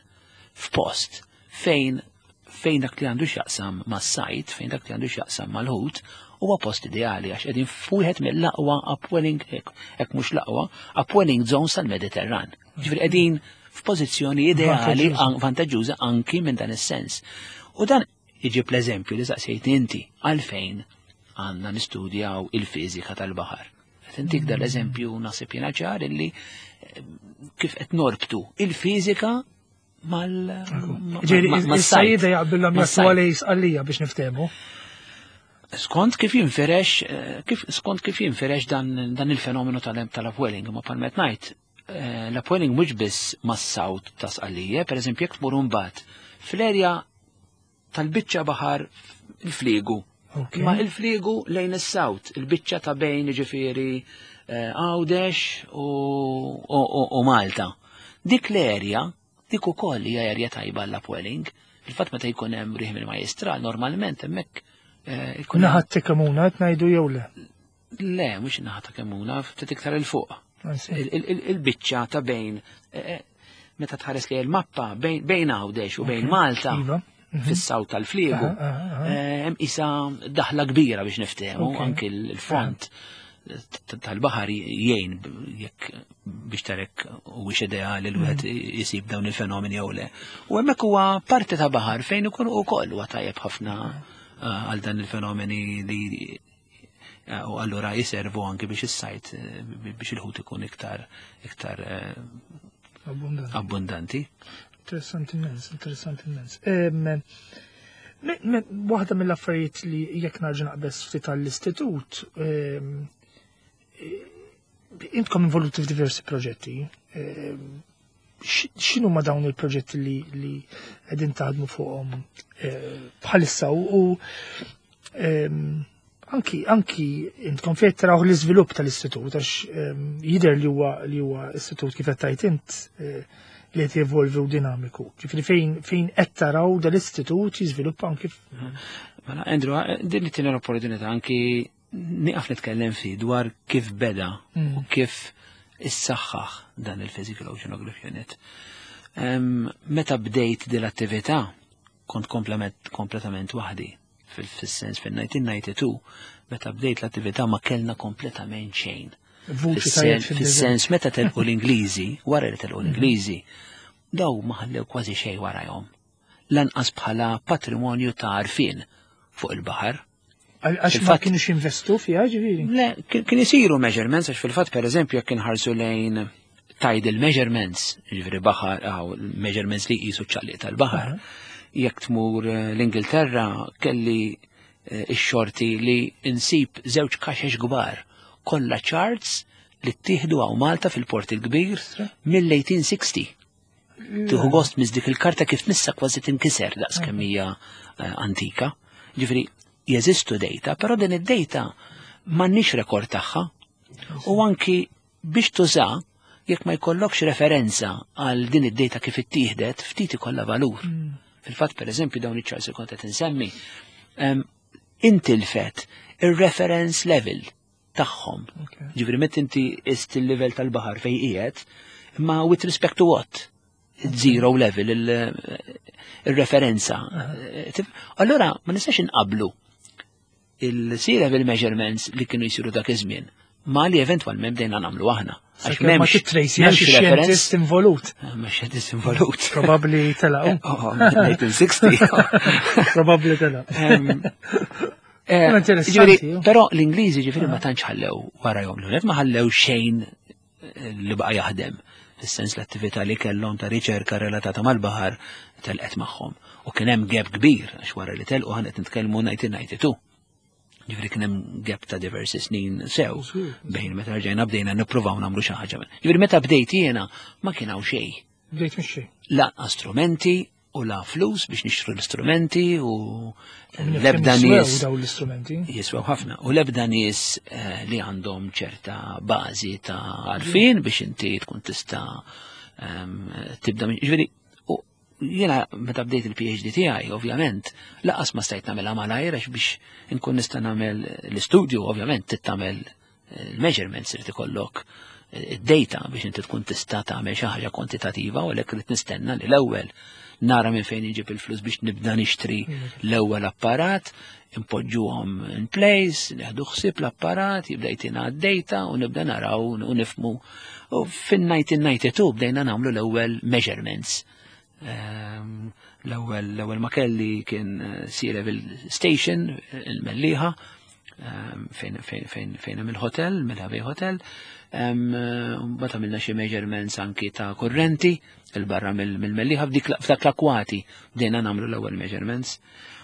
[SPEAKER 2] f'post fejn fejn dak li għandu x'jaqsam mas-sajt, fejn dak li għandu x'jaqsam mal-ħut, huwa post ideali għax qegħdin f'wieħed mill-aqwa upwelling, hekk hekk mhux l-aqwa, upwelling zones tal-Mediterran. Ġifieri qegħdin f'pożizzjoni ideali,
[SPEAKER 1] Vantaġġuża.
[SPEAKER 2] an- vantaġġuża anki minn dan is-sens. U dan iġib l-eżempju li saqsejt inti, għalfejn għandna nistudjaw il-fiżika tal-baħar. Qed intik dan l-eżempju, naħseb jiena ċar illi eh, kif qed norbtu il-fiżika mal ma-
[SPEAKER 1] Ġifieri,
[SPEAKER 2] ma- mas-sajt.
[SPEAKER 1] is-sajjieda jaqbillhom
[SPEAKER 2] Mas-sajt.
[SPEAKER 1] jagħtu għalej Sqallija biex niftehmu.
[SPEAKER 2] Skont kif jinfirex, eh, kif, skont kif jinfirex dan, dan il-fenomenu tal- tal-upwelling, ma palmet ngħid, eh, l-upwelling mhux biss mas-south ta' Sqallija, per eżempju jekk tmur mbagħad fl-erja tal-biċċa baħar il-Fliegu.
[SPEAKER 1] Ok.
[SPEAKER 2] Ma il-Fliegu lejn is-south, il-biċċa ta' bejn, ġifieri, eh, Għawdex u, u, u, u Malta. Dik l-erja, dik ukoll hija erja tajba l-upwelling. Fil-fatt meta jkun hemm riħ mill-majestral, normalment hemmhekk eh, ikun hemm-
[SPEAKER 1] Naħat ta' Kemmuna, qed ngħidu jew le?
[SPEAKER 2] Le, mhux naħa ta' Kemmuna, ftit iktar 'il fuq.
[SPEAKER 1] I see.
[SPEAKER 2] Il- il- il- Il-biċċa ta' bejn, eh, eh, meta tħares li l-mappa bejn bejn Għawdex u bejn Malta,
[SPEAKER 1] Iva.
[SPEAKER 2] fis-south tal-Fliegu,
[SPEAKER 1] Aha, aha, aha.
[SPEAKER 2] eh, hemm isa daħla kbira biex niftehmu,
[SPEAKER 1] Ok.
[SPEAKER 2] anki l-front t- tal-baħar jgħin b- jekk biex tarek u biex ideali l wieħed jisib dawn il-fenomeni jew le. U hemmhekk huwa parti ta' baħar fejn ikun ukoll huwa tajjeb ħafna eh, għal dan il-fenomeni li eh, u allura jiservu anki biex is-sajt, eh, biex il-ħut ikun iktar iktar eh,
[SPEAKER 1] Abbondanti.
[SPEAKER 2] abbondanti.
[SPEAKER 1] Interessanti immens, interessanti immens. Em, me- me- Waħda mill-affarijiet li jekk narġa' naqbeż ftit għall-istitut, em, eh, intkom involuti f'diversi proġetti. em, x- X'inhu ma dawn il-proġetti li li qegħdin taħdmu fuqhom eh, bħalissa u u, em, anki anki intkom fejn taraw l-iżvilupp tal-istitut, għax em, jidher li huwa li huwa istitut, kif qed tgħid int, eh, li qed jevolvi u dinamiku. Ġifieri fejn fejn qed taraw dal-istitut jiżviluppa anki f-
[SPEAKER 2] Mela, Andrew, din it l-opportunità anki nieqaf nitkellem fi dwar kif beda
[SPEAKER 1] Mm.
[SPEAKER 2] u kif issaħħaħ dan il-Physical Oceanography Unit. Em, Meta bdejt din l-attività, kont komplement, kompletament waħdi. Fil-sens fil-elf disa' mija u disgħa u disgħin, meta bdejt l-attività ma kellna kompletament xejn.
[SPEAKER 1] Vuċi tajjeb fid
[SPEAKER 2] Fis-sens meta telqu l-Ingliżi, wara li telqu l-Ingliżi, daw ma ħallew kważi xejn warajhom. Lanqas bħala patrimonju ta' għarfien fuq il-baħar.
[SPEAKER 1] Għax ma
[SPEAKER 2] Fil-fatt-
[SPEAKER 1] kienux jinvestu fiha, ġifieri.
[SPEAKER 2] Le, kien kien isiru measurements, għax fil-fatt, per eżempju, jekk inħarsu lejn tidal measurements, ġifieri baħar, għaw, measurements li jqisu ċaqliq tal-baħar. Jekk tmur eh, l-Ingilterra, kelli eh, ix-xorti li insib żewġ kaxex kbar, kollha charts li ttieħdu hawn Malta fil-Port il-Kbir mill-elf disa' mija u sittin. Tieħu gost miss dik il-karta kif tmissa kważi tinkiser daqs kemm hija eh, antika. Ġifieri jeżistu data, però din id-data m'għandniex rekord tagħha. U anki biex tuża, jekk ma jkollokx referenza għal din id-data kif ittieħdet, ftit ikollha valur. Fil-fatt, per eżempju, dawn iċ-charts li kont qed insemmi, em, intilfet ir-reference level tagħhom.
[SPEAKER 1] Ok.
[SPEAKER 2] Ġifieri meta inti ist il-level tal-baħar fejn qiegħed, imma with respect to what? Zero level, il- il-referenza. Tif- Allora, ma nistax inqablu il-sea level measurements li kienu jisiru dak iż-żmien ma li eventwalment bdejna nagħmlu aħna. Għax
[SPEAKER 1] Ma titrejsi għax
[SPEAKER 2] m'hemmx reference.
[SPEAKER 1] xjentist involut.
[SPEAKER 2] Ma xjentist involut.
[SPEAKER 1] Probabbli telaq.
[SPEAKER 2] Oh, elf disa' mija u sittin.
[SPEAKER 1] Probabbli telaq.
[SPEAKER 2] Em, eh,
[SPEAKER 1] Imma interessanti,
[SPEAKER 2] ġifieri,
[SPEAKER 1] ju.
[SPEAKER 2] Però l-Ingliżi, ġifieri, ma tantx ħallew warajhom. L ma ħallew xejn eh, li baqa' jaħdem. Fis-sens l-attività li kellhom ta' riċerka relatata mal-baħar telqet magħhom. U kien hemm gap kbir għax wara li telqu ħanet nitkellmu elf disa' mija u tnejn u disgħin. Ġifieri kien hemm gap ta' diversi snin sew bejn meta rġajna bdejna nippruvaw nagħmlu xi ħaġa. Ġifieri meta bdejt jiena ma kien hawn xejn.
[SPEAKER 1] Bdejt mixi.
[SPEAKER 2] La strumenti u la flus biex nixtru l-istrumenti u l-ebda nies.
[SPEAKER 1] Daw l-istrumenti.
[SPEAKER 2] Jiswew ħafna. U l-ebda nies eh, li għandhom ċerta bażi ta' għarfien biex inti tkun tista' ehm, tibda minn. Ġifieri, u jiena meta bdejt il-P H D tiegħi, ovvjament, lanqas ma stajt nagħmilha malajr, għax biex inkun nista' nagħmel l-istudju, ovvjament, trid tagħmel il-measurements, irid ikollok id-data biex inti tkun tista' tagħmel xi ħaġa kwantitativa, u għalhekk irid nistenna li l-ewwel nara minn fejn inġib il-flus biex nibda nixtri l-ewwel apparat, impoġġuhom in place, nieħdu ħsieb l-apparat, jibda jtina d-data u nibda naraw u nifhmu. U fin-elf disa' mija u disgħa u disgħin bdejna nagħmlu l-ewwel measurements. Ehm, L-ewwel l-ewwel ma kelli kien eh, sea level station il-Mellieħa, ehm, fejn fejn fejn fejn hemm il-hotel, Mellieħa Bay Hotel. Mbagħad għamilna xi measurements anki ta' kurrenti il-barra mill-Mellieħa, f'dik f'dak l-akwati bdejna nagħmlu l-ewwel measurements.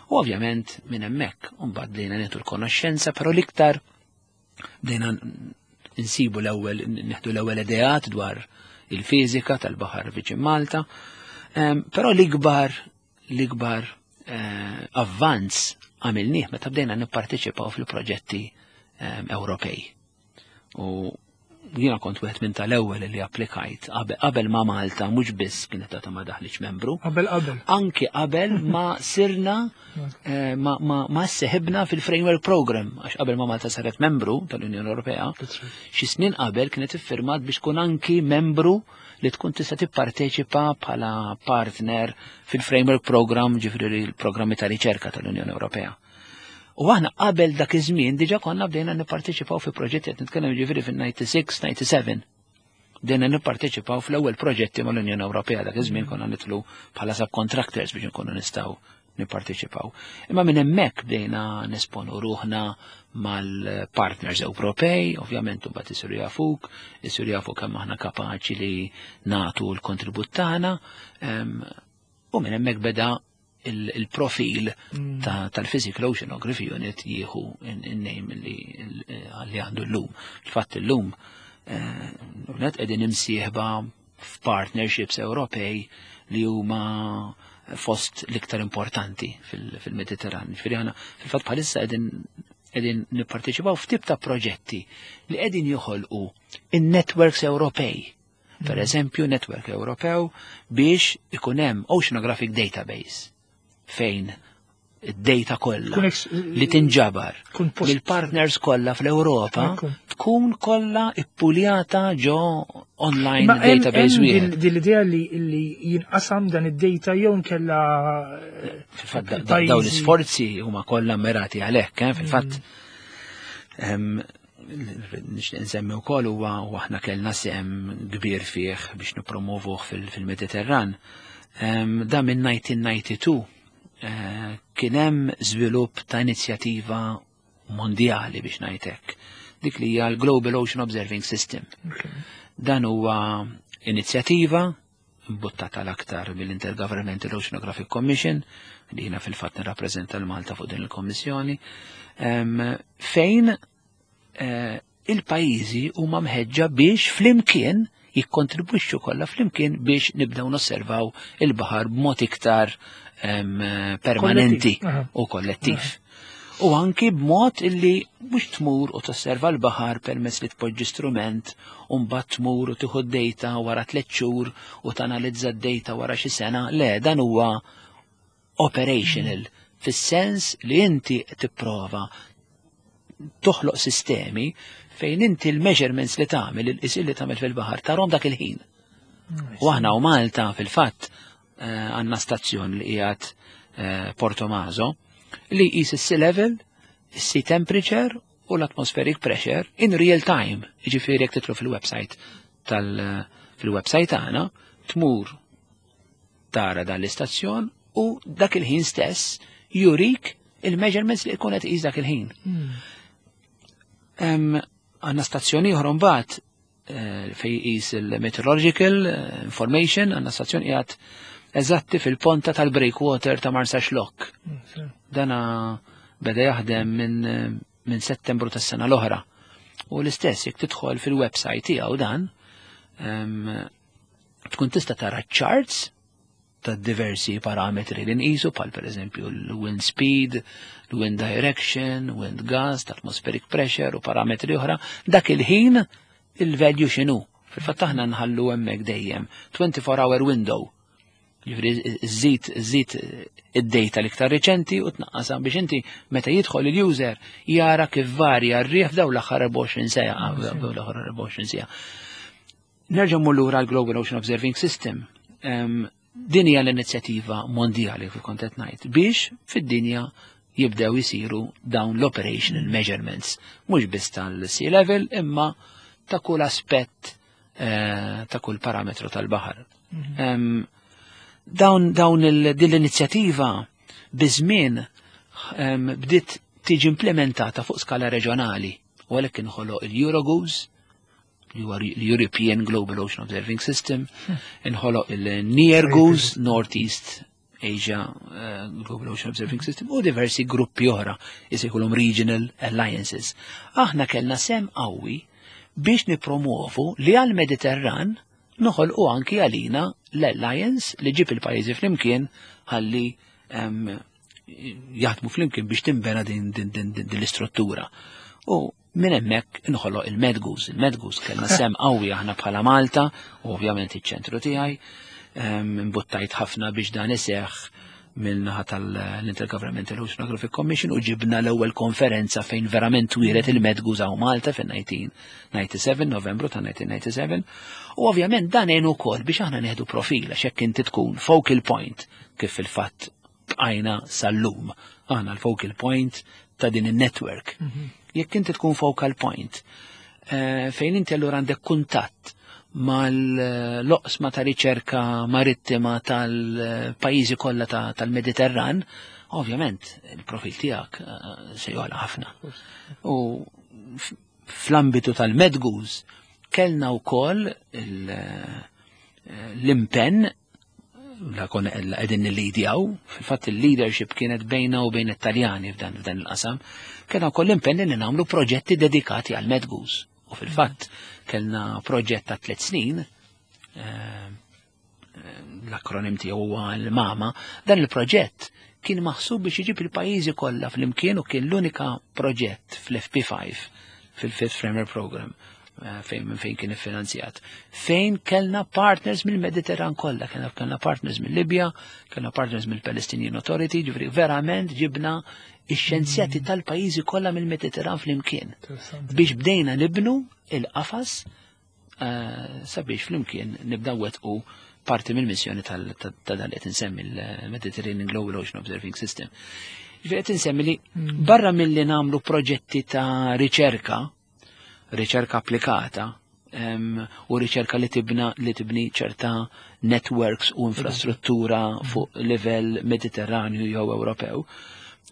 [SPEAKER 2] U ovvjament minn hemmhekk mbagħad bdejna nieħdu l-konoxxenza, però l-iktar bdejna nsibu l-ewwel, nieħdu l-ewwel ideat dwar il-fiżika tal-baħar viċin Malta. Em, Però l-ikbar l-ikbar eh, avvanz għamilnieh meta bdejna nipparteċipaw fil-proġetti em, Ewropej. U jiena kont wieħed minn tal-ewwel li applikajt qabel qabel ma Malta mhux biss kienet għadha ma daħlitx membru,
[SPEAKER 1] Qabel qabel.
[SPEAKER 2] anki qabel ma sirna eh, ma, ma, ma seħibna fil-Framework Program, għax qabel ma Malta saret membru tal-Unjoni Ewropea, xi snin qabel kienet iffirmat biex tkun anki membru li tkun tista' tipparteċipa bħala partner fil-Framework Program, ġifieri l-programmi ta' riċerka tal-Unjoni Ewropea. U aħna qabel dak iż-żmien diġà konna bdejna nipparteċipaw fi proġetti, qed nitkellem ġifieri fin-disgħa u disgħin, disgħa u sebgħin. Bdejna nipparteċipaw fl-ewwel proġetti mal-Unjoni Ewropea. Dak iż-żmien konna nidħlu bħala subcontractors biex nkunu nistgħu nipparteċipaw. Imma minn hemmhekk bdejna nesponu ruħna mal-partners Ewropej, ovvjament, u mbagħad isiru jafuk, isiru jafu kemm aħna kapaċi li nagħtu l-kontribut tagħna, em, u minn hemmhekk beda il- il-profil
[SPEAKER 1] Mm.
[SPEAKER 2] ta- tal-Physical Oceanography Unit jieħu in-name li li għandu l-lum. Il-fatt l-lum net qegħdin imsieħba f'partnerships Ewropej li huma fost l-iktar importanti fil- fil-Mediterran. Ġifieri aħna fil-fatt bħalissa qegħdin qegħdin nipparteċipaw f'tip ta' proġetti li qegħdin joħolqu in-networks Ewropej. Per eżempju, network Ewropew biex ikun hemm oceanographic database fejn id-data kollha
[SPEAKER 1] Tkun ex-
[SPEAKER 2] li tinġabar
[SPEAKER 1] Tkun post-
[SPEAKER 2] mill-partners kollha fl-Ewropa
[SPEAKER 1] Ekku.
[SPEAKER 2] tkun kollha ippuljata ġo online
[SPEAKER 1] Ma hemm-
[SPEAKER 2] database
[SPEAKER 1] hemm
[SPEAKER 2] wieħed.
[SPEAKER 1] din din l-idea li li jinqasam dan id-data jew nkella eh,
[SPEAKER 2] Fil-fatt da- da- dawn l-isforzi huma kollha mirati għalhekk, eh, fil-fatt em, nixtieq nsemmi wkoll huwa u aħna kellna sehem kbir fih biex nippromovuh fil- fil-Mediterran. Em, Da minn elf disa' mija u disgħa u disgħin eh, kien hemm żvilupp ta' inizjattiva mondjali biex ngħidlek. Dik li hija l-Global Ocean Observing System.
[SPEAKER 1] Okay.
[SPEAKER 2] Dan huwa inizjattiva imbuttata l-aktar mill-Intergovernmental Oceanographic Commission, li jiena fil-fatt nirrappreżenta l-Malta fuq din il-kommissjoni, em, fejn eh, il-pajjiżi huma mħeġġa biex flimkien jikkontribwixxu kollha flimkien biex nibdew nosservaw il-baħar b'mod iktar em, permanenti
[SPEAKER 1] Kollettiv, aha.
[SPEAKER 2] u kollettiv. U anki b'mod illi mhux tmur u tosserva l-baħar permezz li tpoġġi strument u mbagħad tmur u tieħu d-data wara tliet xhur u tanalizza d-data wara xi sena. Le, dan huwa operational fis-sens li inti tipprova toħloq sistemi fejn inti l-measurements li tagħmel, il-qisien li tagħmel fil-baħar, tarahom dak il-ħin. U aħna u Malta fil-fatt eh, għandna stazzjon li qiegħed eh, Portomaso li jqis is-sea level, is-sea temperature u l-atmospheric pressure in real time. Jiġifieri jekk titlu fil-website tal fil-website tagħna tmur tara dan l-istazzjon u dak il-ħin stess jurik il-measurements li jkun qed iqis dak il-ħin. Em, Għandna stazzjoni oħra mbagħad eh, fej jqis il-meteorological eh, information, għandna stazzjon qiegħed eżatti fil-ponta tal-breakwater ta' Marsaxlokk. Dana beda jaħdem minn minn Settembru tas-sena l-oħra. U l-istess jekk tidħol fil-website tiegħu dan, em, Tkun tista' tara charts ta' diversi parametri li nqisu bħal pereżempju l-wind speed, l-wind direction, wind gust, atmospheric pressure u parametri oħra, dak il-ħin il-value x'inhu. Fil-fatt aħna nħallu hemmhekk dejjem twenty-four hour window. Jiġifieri żżid żżid id-data l-iktar riċenti u tnaqqasha biex inti meta jidħol il-user jara kif varja r-riħ f'dawn l-aħħar erbgħa u għoxrin siegħa, f'dawn l-aħħar erbgħa u għoxrin siegħa. Nerġa' mmur lura l-Global Ocean Observing System. Din hija l-inizjattiva mondjali kif kont qed ngħid biex fid-dinja jibdew isiru dawn l-operational measurements, mhux biss tal-sea level imma ta' kull aspett, eh, ta' kull parametru tal-baħar.
[SPEAKER 1] Mhm.
[SPEAKER 2] Dawn, dawn il-, din l-inizjattiva biż-żmien, em, bdiet tiġi implementata fuq skala reġjonali, u għalhekk inħoloq il-EuroGOOS, li huwa l-European Global Ocean Observing System, inħoloq il-NEARGOOS, North East Asia, eh, Global Ocean Observing System, u diversi gruppi oħra, jisejħulhom Regional Alliances. Aħna kellna sem qawwi biex nipromuovu li għal-Mediterran noħolqu anki għalina l-Alliance li ġib il-pajjiżi flimkien ħalli, em, jaħdmu flimkien biex timbena din, din, din, din, din l-istruttura. U minn hemmhekk inħoloq il-MedGOOS. Il-MedGOOS kellna sem qawwi aħna bħala Malta, u ovvjament iċ-ċentru tiegħi, em, imbuttajt ħafna biex dan iseħħ mill-naħa tal-Intergovernmental Oceanographic Commission u ġibna l-ewwel konferenza fejn verament twiret il-MedGOOS hawn Malta fin nineteen ninety-seven, Novembru ta' nineteen ninety-seven. U ovvjament dan għenu wkoll biex aħna nieħdu profil għax hekk inti tkun focal point kif fil-fatt bqajna sal-lum. Aħna l-focal point ta' din in-network.
[SPEAKER 1] Mhm.
[SPEAKER 2] Jekk inti tkun focal point, eh, fejn inti allura għandek kuntatt mal-loqsma ta' riċerka marittima tal-pajjiżi kollha ta', tal-Mediterran, ovvjament il-profil tiegħek, eh, se jogħla ħafna. U f-, fl-ambitu tal-MedGOOS kellna wkoll il-, eh, l-impenn la konna qegħdin nillidjaw, fil-fatt il-leadership kienet bejna u bejn it-Taljani f'dan, f'dan il-qasam, kellna wkoll l-impenn li nagħmlu proġetti dedikati għal MedGOOS. U fil-fatt kellna proġett ta' tliet snin, eh, eh, l-akronim tiegħu huwa l-MAMA, dan il-proġett kien maħsub biex iġib il-pajjiżi kollha flimkien u kien l-unika proġett fl-F P five, fil-Fifth Framework Program, eh, fejn minn fejn kien iffinanzjat, fejn kellna partners mill-Mediterran kollha, kellna, kellna partners mill-Libja, kellna partners mill-Palestinian Authority, ġifieri verament ġibna ix-xjenzjati tal-pajjiżi kollha mill-Mediterran flimkien.
[SPEAKER 1] Interessanti.
[SPEAKER 2] Biex bdejna nibnu il-qafas, eh, sabiex flimkien nibdew wettqu parti mill-missjoni tal-, ta', ta' dan li qed insemmi l-Mediterranean Global Ocean Observing System. Ġifieri qed insemmi li
[SPEAKER 1] Mm.
[SPEAKER 2] barra milli nagħmlu proġetti ta' riċerka, riċerka applikata, em, u riċerka li tibna, li tibni ċerta networks u infrastruttura fuq livell Mediterranju jew Ewropew.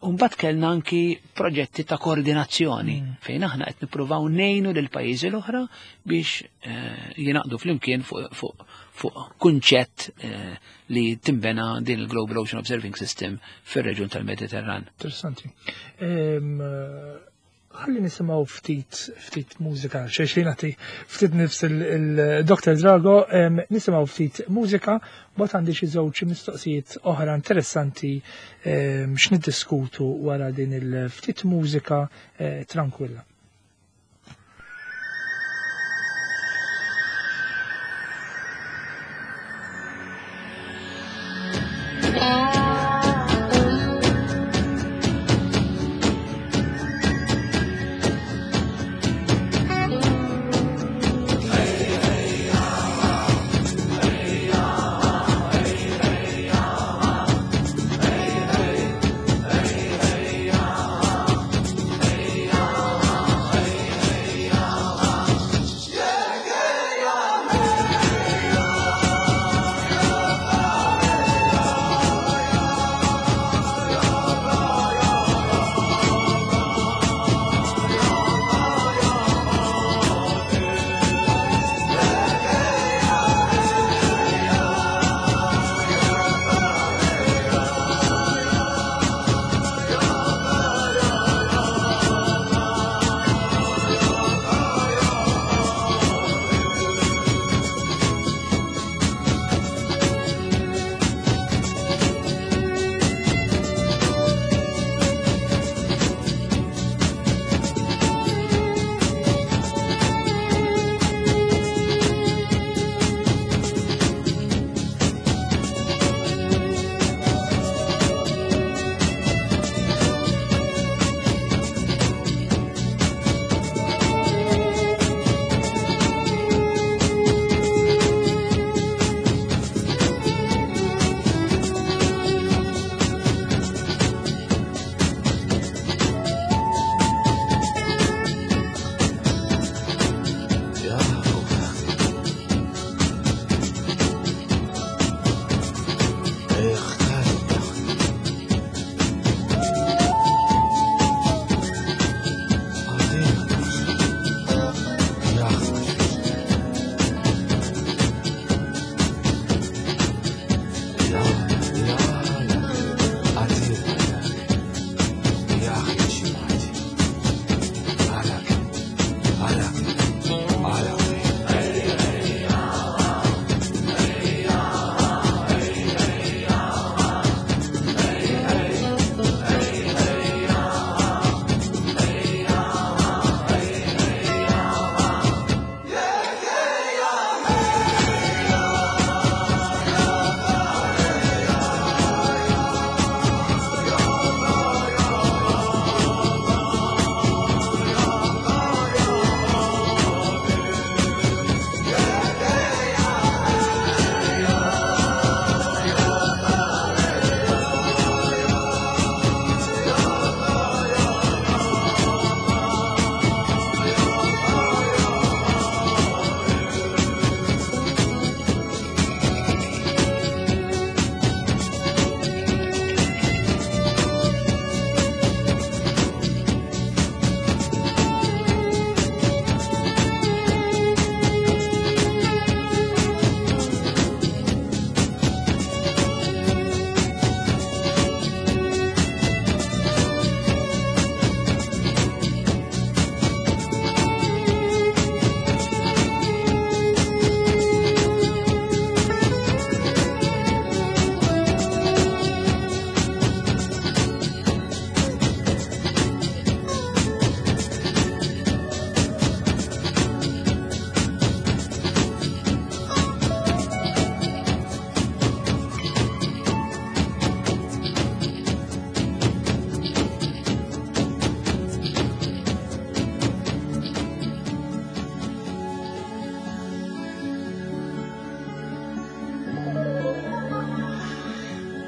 [SPEAKER 2] U mbagħad kellna anki proġetti ta' koordinazzjoni
[SPEAKER 1] Mm.
[SPEAKER 2] fejn aħna qed nippruvaw ngħinu lil pajjiżi l-oħra biex, eh, jingħaqdu flimkien fuq, fuq, fuq kunċett, eh, li timbena din il-Global Ocean Observing System fir-reġjun tal-Mediterran.
[SPEAKER 1] Interessanti. Em, ħalli nisimgħu ftit, ftit mużika, xejn xejn nagħti ftit nifs il-Doctor Drago, em, nisimgħu ftit mużika, mbagħad għandi xi żewġ mistoqsijiet oħra interessanti, em, x'niddiskutu wara din il-ftit mużika, eh, tranquilla.
[SPEAKER 3] Hey, hey, hey, hey, hey, hey, hey, hey.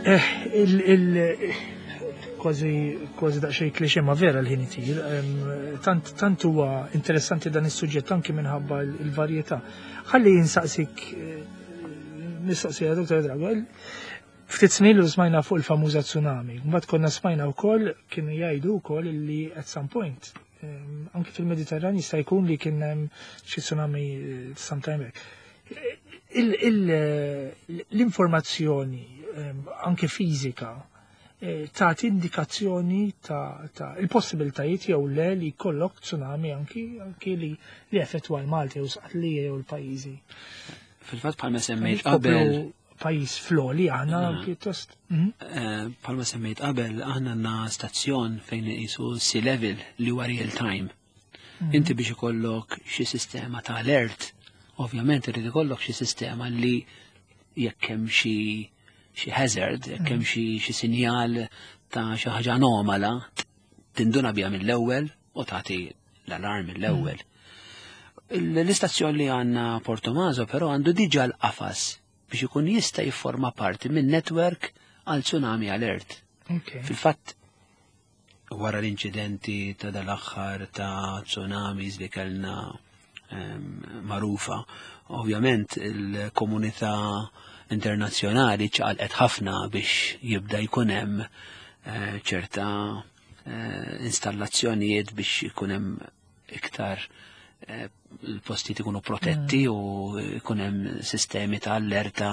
[SPEAKER 1] Eh, il, il, kważi kważi daqsxejn klixe ma vera l-ħin itir. Em, Tant tant huwa interessanti dan is-suġġett anki minħabba l- il-varjetà. Ħalli jinsaqsik eh, mistoqsija Dottor Drago. il- Ftit snin lu smajna fuq il-famuża tsunami. Mbagħad konna smajna wkoll kienu jgħidu wkoll li at some point em, anki fil-Mediterran jista' jkun li kien hemm xi tsunami eh, sometime back. Il- il- L-informazzjoni em, anke fiżika eh, tagħti indikazzjoni ta' ta' il-possibilitajiet jew le li jkollok tsunami anki anki li li effettwa l-Malta jew Sqallija jew l-pajjiżi.
[SPEAKER 2] Fil-fatt bħalma semmejt
[SPEAKER 1] Koplu
[SPEAKER 2] qabel,
[SPEAKER 1] pajjiż fl-għoli aħna pjuttost. Mhm.
[SPEAKER 2] eh, bħalma semmejt qabel, aħna għandna stazzjon fejn iqisu sea level li huwa real time. Inti biex ikollok xi sistema ta' alert, ovvjament irid ikollok xi sistema li jekk hemm xi xi hazard, jekk hemm xi xi sinjal ta' xi ħaġa anomala, tinduna biha mill-ewwel u tagħti l-alarm mill-ewwel. L-istazzjon li għandna Portomaso però għandu diġà l-qafas biex ikun jista' jifforma parti minn network għal tsunami alert.
[SPEAKER 1] Ok.
[SPEAKER 2] Fil-fatt, wara l-inċidenti ta' dal-aħħar ta' tsunamis li kellna em, marufa, ovvjament il-komunità internazzjonali ċaqalqet ħafna biex jibda jkun hemm eh, ċerta eh, installazzjonijiet biex ikun hemm iktar eh, il-postijiet ikunu protetti u ikun hemm sistemi ta' allerta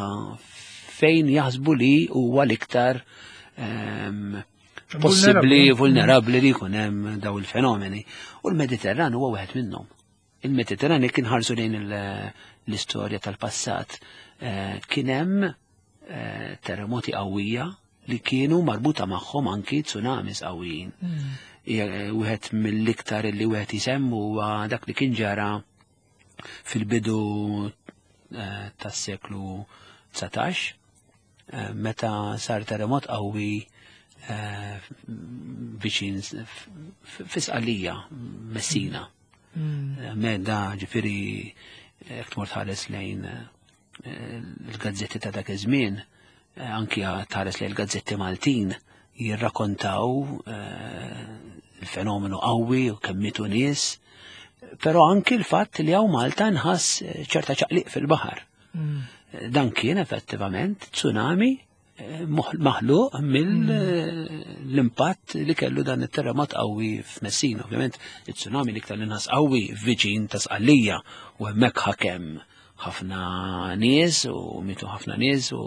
[SPEAKER 2] fejn jaħsbu li huwa l-iktar em, possibbli vulnerabbli li jkun hemm daw il-fenomeni. U l-Mediterran huwa wieħed minnhom. Il-Mediterran jekk inħarsu lejn il- l-istorja tal-passat, eh, kien hemm eh, terremoti qawwija li kienu marbuta magħhom anki tsunamis qawwijin. Hija, eh, Wieħed mill-iktar li wieħed jisemmu huwa dak li kien ġara fil-bidu eh, tas-seklu dsatax, eh, meta sar terremot qawwi eh, viċin fi Sqallija, Messina.
[SPEAKER 1] Mm.
[SPEAKER 2] Meda ġifieri jekk tmur tħares lejn eh, il-gazzetti ta' dak iż-żmien, eh, anki tħares lejn il-gazzetti Maltin jirrakkontaw eh, il-fenomenu qawwi u kemm mietu nies, però anki l-fatt li hawn Malta nħass eh, ċerta ċaqliq fil-baħar.
[SPEAKER 1] Mm.
[SPEAKER 2] Dan kien effettivament tsunami eh, moħ- maħluq mill-impatt li kellu dan it-terremot qawwi f'Messina. Ovvjament, it-tsunami l-iktar li nħass qawwi viċin ta' Sqallija u hemmhekk ħakem ħafna nies u mietu ħafna nies u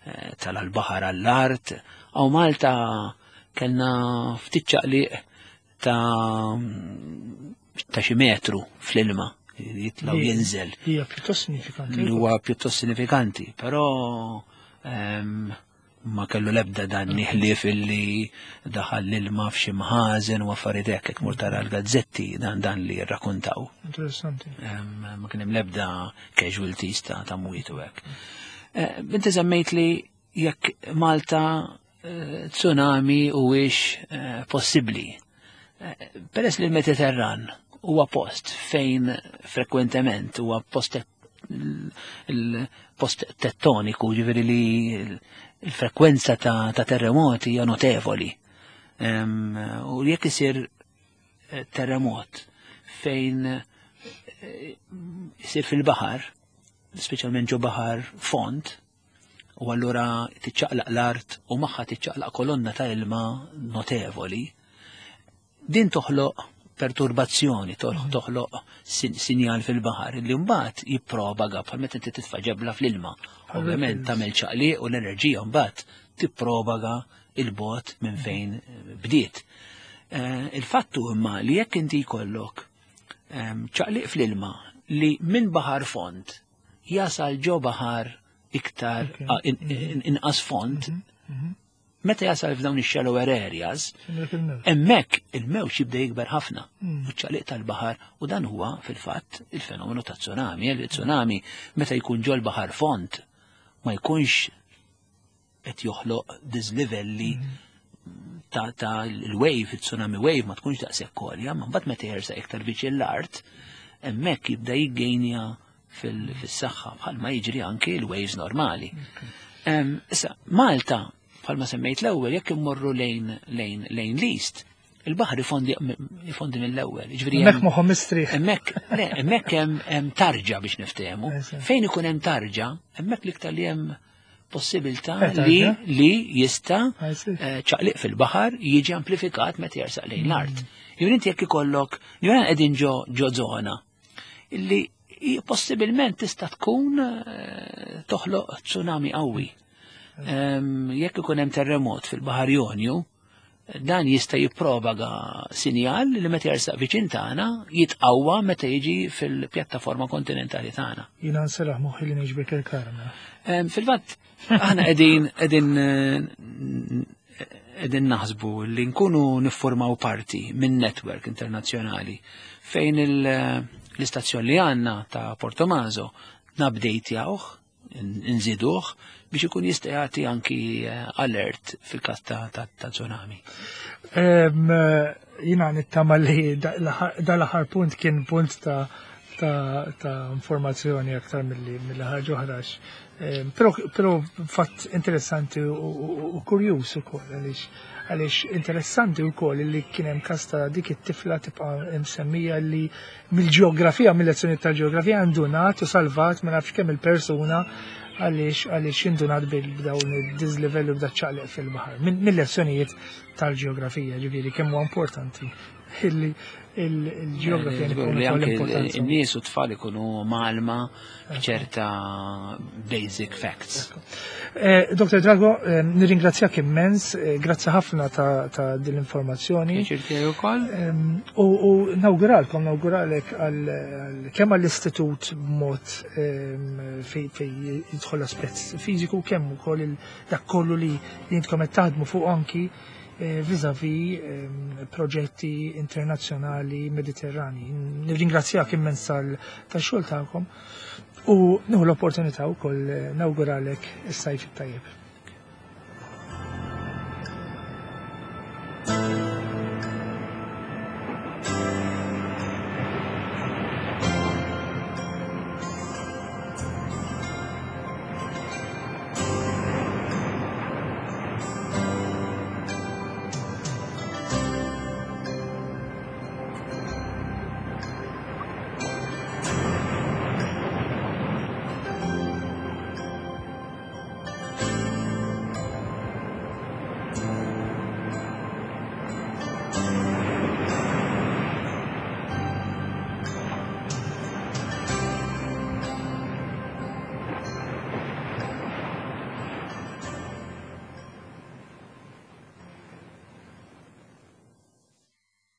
[SPEAKER 2] eh, tala l-baħar għall-art. Hawn Malta kellna ftit ċaqliq ta' ta' xi metru fl-ilma jitla' u
[SPEAKER 1] Li-
[SPEAKER 2] jinżel
[SPEAKER 1] Hija pjuttost sinifikanti.
[SPEAKER 2] li huwa pjuttost sinifikanti, però em, ma kellu lebda dan ħlief illi daħal l-ilma f'xi mħażen u affarijiet hekk jekk mur tara l-gazzetti dan dan li jirrakkontaw.
[SPEAKER 1] Interessanti.
[SPEAKER 2] Em, Ma kien hemm lebda casualties ta' ta' mwiet u hekk. Eh, Inti semmejt li jekk Malta eh, tsunami huwiex eh, possibbli. Eh, Peress li l-Mediterran huwa post fejn frekwentement huwa post il-post tettoniku, ġifieri li il-frekwenza ta', ta' terremoti hija notevoli. Em, U jekk isir eh, terremot fejn eh, isir fil-baħar, speċjalment ġo baħar fond, u allura tiċċaqlaq l-art u magħha tiċċaqlaq kolonna ta' ilma notevoli, din toħloq perturbazzjoni, toħloq toħloq sin- sinjal fil-baħar li mbagħad jippropaga bħal meta inti titfa' ġebla fl-ilma. Ovvjament tagħmel ċaqliq u l-enerġija mbagħad tippropaga il-bogħod minn fejn eh, bdiet. Eh, Il-fattu imma li jekk inti jkollok em, ċaqliq fl-ilma li minn baħar fond jasal ġo baħar iktar
[SPEAKER 1] Ok.
[SPEAKER 2] ah, in- in- inqas fond, meta jasal f'dawn ix-shallower areas,
[SPEAKER 1] Hemmhekk il-mewġ.
[SPEAKER 2] hemmhekk il-mewġ jibda jikber ħafna.
[SPEAKER 1] Mm.
[SPEAKER 2] U ċaqliq tal-baħar u dan huwa fil-fatt il-fenomenu ta' tsunami. Il-tsunami meta jkun ġol baħar fond ma jkunx qed joħloq dislivelli ta' ta' il-wave, il-tsunami wave ma tkunx daqshekk għolja, ma mbagħad meta jersa iktar viċin l-art, hemmhekk jibda jiggejnja fil-saħħa bħalma jiġri anki l-waves normali. Em, Issa, Malta Bħalma semmejt l-ewwel, jekk immorru lejn lejn lejn l-east, il-baħar ifondi ifondi mill-ewwel.
[SPEAKER 1] Ġifieri hemmhekk moħħhom mistrieħ.
[SPEAKER 2] Hemmhekk, le, hemmhekk hemm tarġa biex niftehmu. Fejn ikun hemm tarġa, hemmhekk l-iktar li hemm possibilità li li jista' ċaqliq fil-baħar jiġi amplifikat meta jersaq lejn l-art. Jew inti jekk ikollok, jew qegħdin ġo ġo żona illi possibilment tista' tkun toħloq tsunami qawwi. Jekk ikun hemm terremot fil-Baħar Jonju, dan jista' jippropaga sinjal li meta jersaq viċin tagħna jitqawwa meta jiġi fil-pjattaforma kontinentali tagħna.
[SPEAKER 1] Jiena nserraħ moħħi li ngħix Birkirkara.
[SPEAKER 2] Fil-fatt aħna qegħdin qegħdin qegħdin naħsbu li nkunu niffurmaw parti minn network internazzjonali fejn l-istazzjon li għandna ta' Portomaso nupdatejawh, nżiduh biex ikun jista' jagħti anki alert fil-każ ta' tsunami.
[SPEAKER 1] Jiena nittama li dal-aħħar punt kien punt ta' ta' informazzjoni aktar milli ħaġa oħra. Però fatt interessanti u kurjuż ukoll għaliex għaliex interessanti wkoll li kien hemm każ ta' dik it-tifla tibqa' msemmija li mill-ġeografija, mill-lezzjoni tal-ġeografija indunat u salvat ma nafx kemm il-persuna għaliex għaliex indunat b'dawn id-dislivelli u b'daċ-ċaqliq fil-baħar. Mill-lezzjonijiet tal-ġeografija, ġifieri kemm huwa importanti illi il-ġeografija
[SPEAKER 2] li anke in-nies u tfal ikunu mgħallma ċerta basic facts.
[SPEAKER 1] Doktor Drago, nirringrazzjak immens, grazzi ħafna ta' din l-informazzjoni.
[SPEAKER 2] Pjaċir tiegħi wkoll.
[SPEAKER 1] U nawguralkom, nawguralek kemm għall-istitut b'mod fej jidħol aspett fiżiku, kemm ukoll dak kollu li intkom qed taħdmu fuq anki vis-a-vis proġetti internazzjonali mediterrani. Nirringrazzjak immens tal-xogħol tagħkom u nieħu l-opportunità wkoll nawguralek is-sajf it-tajjeb.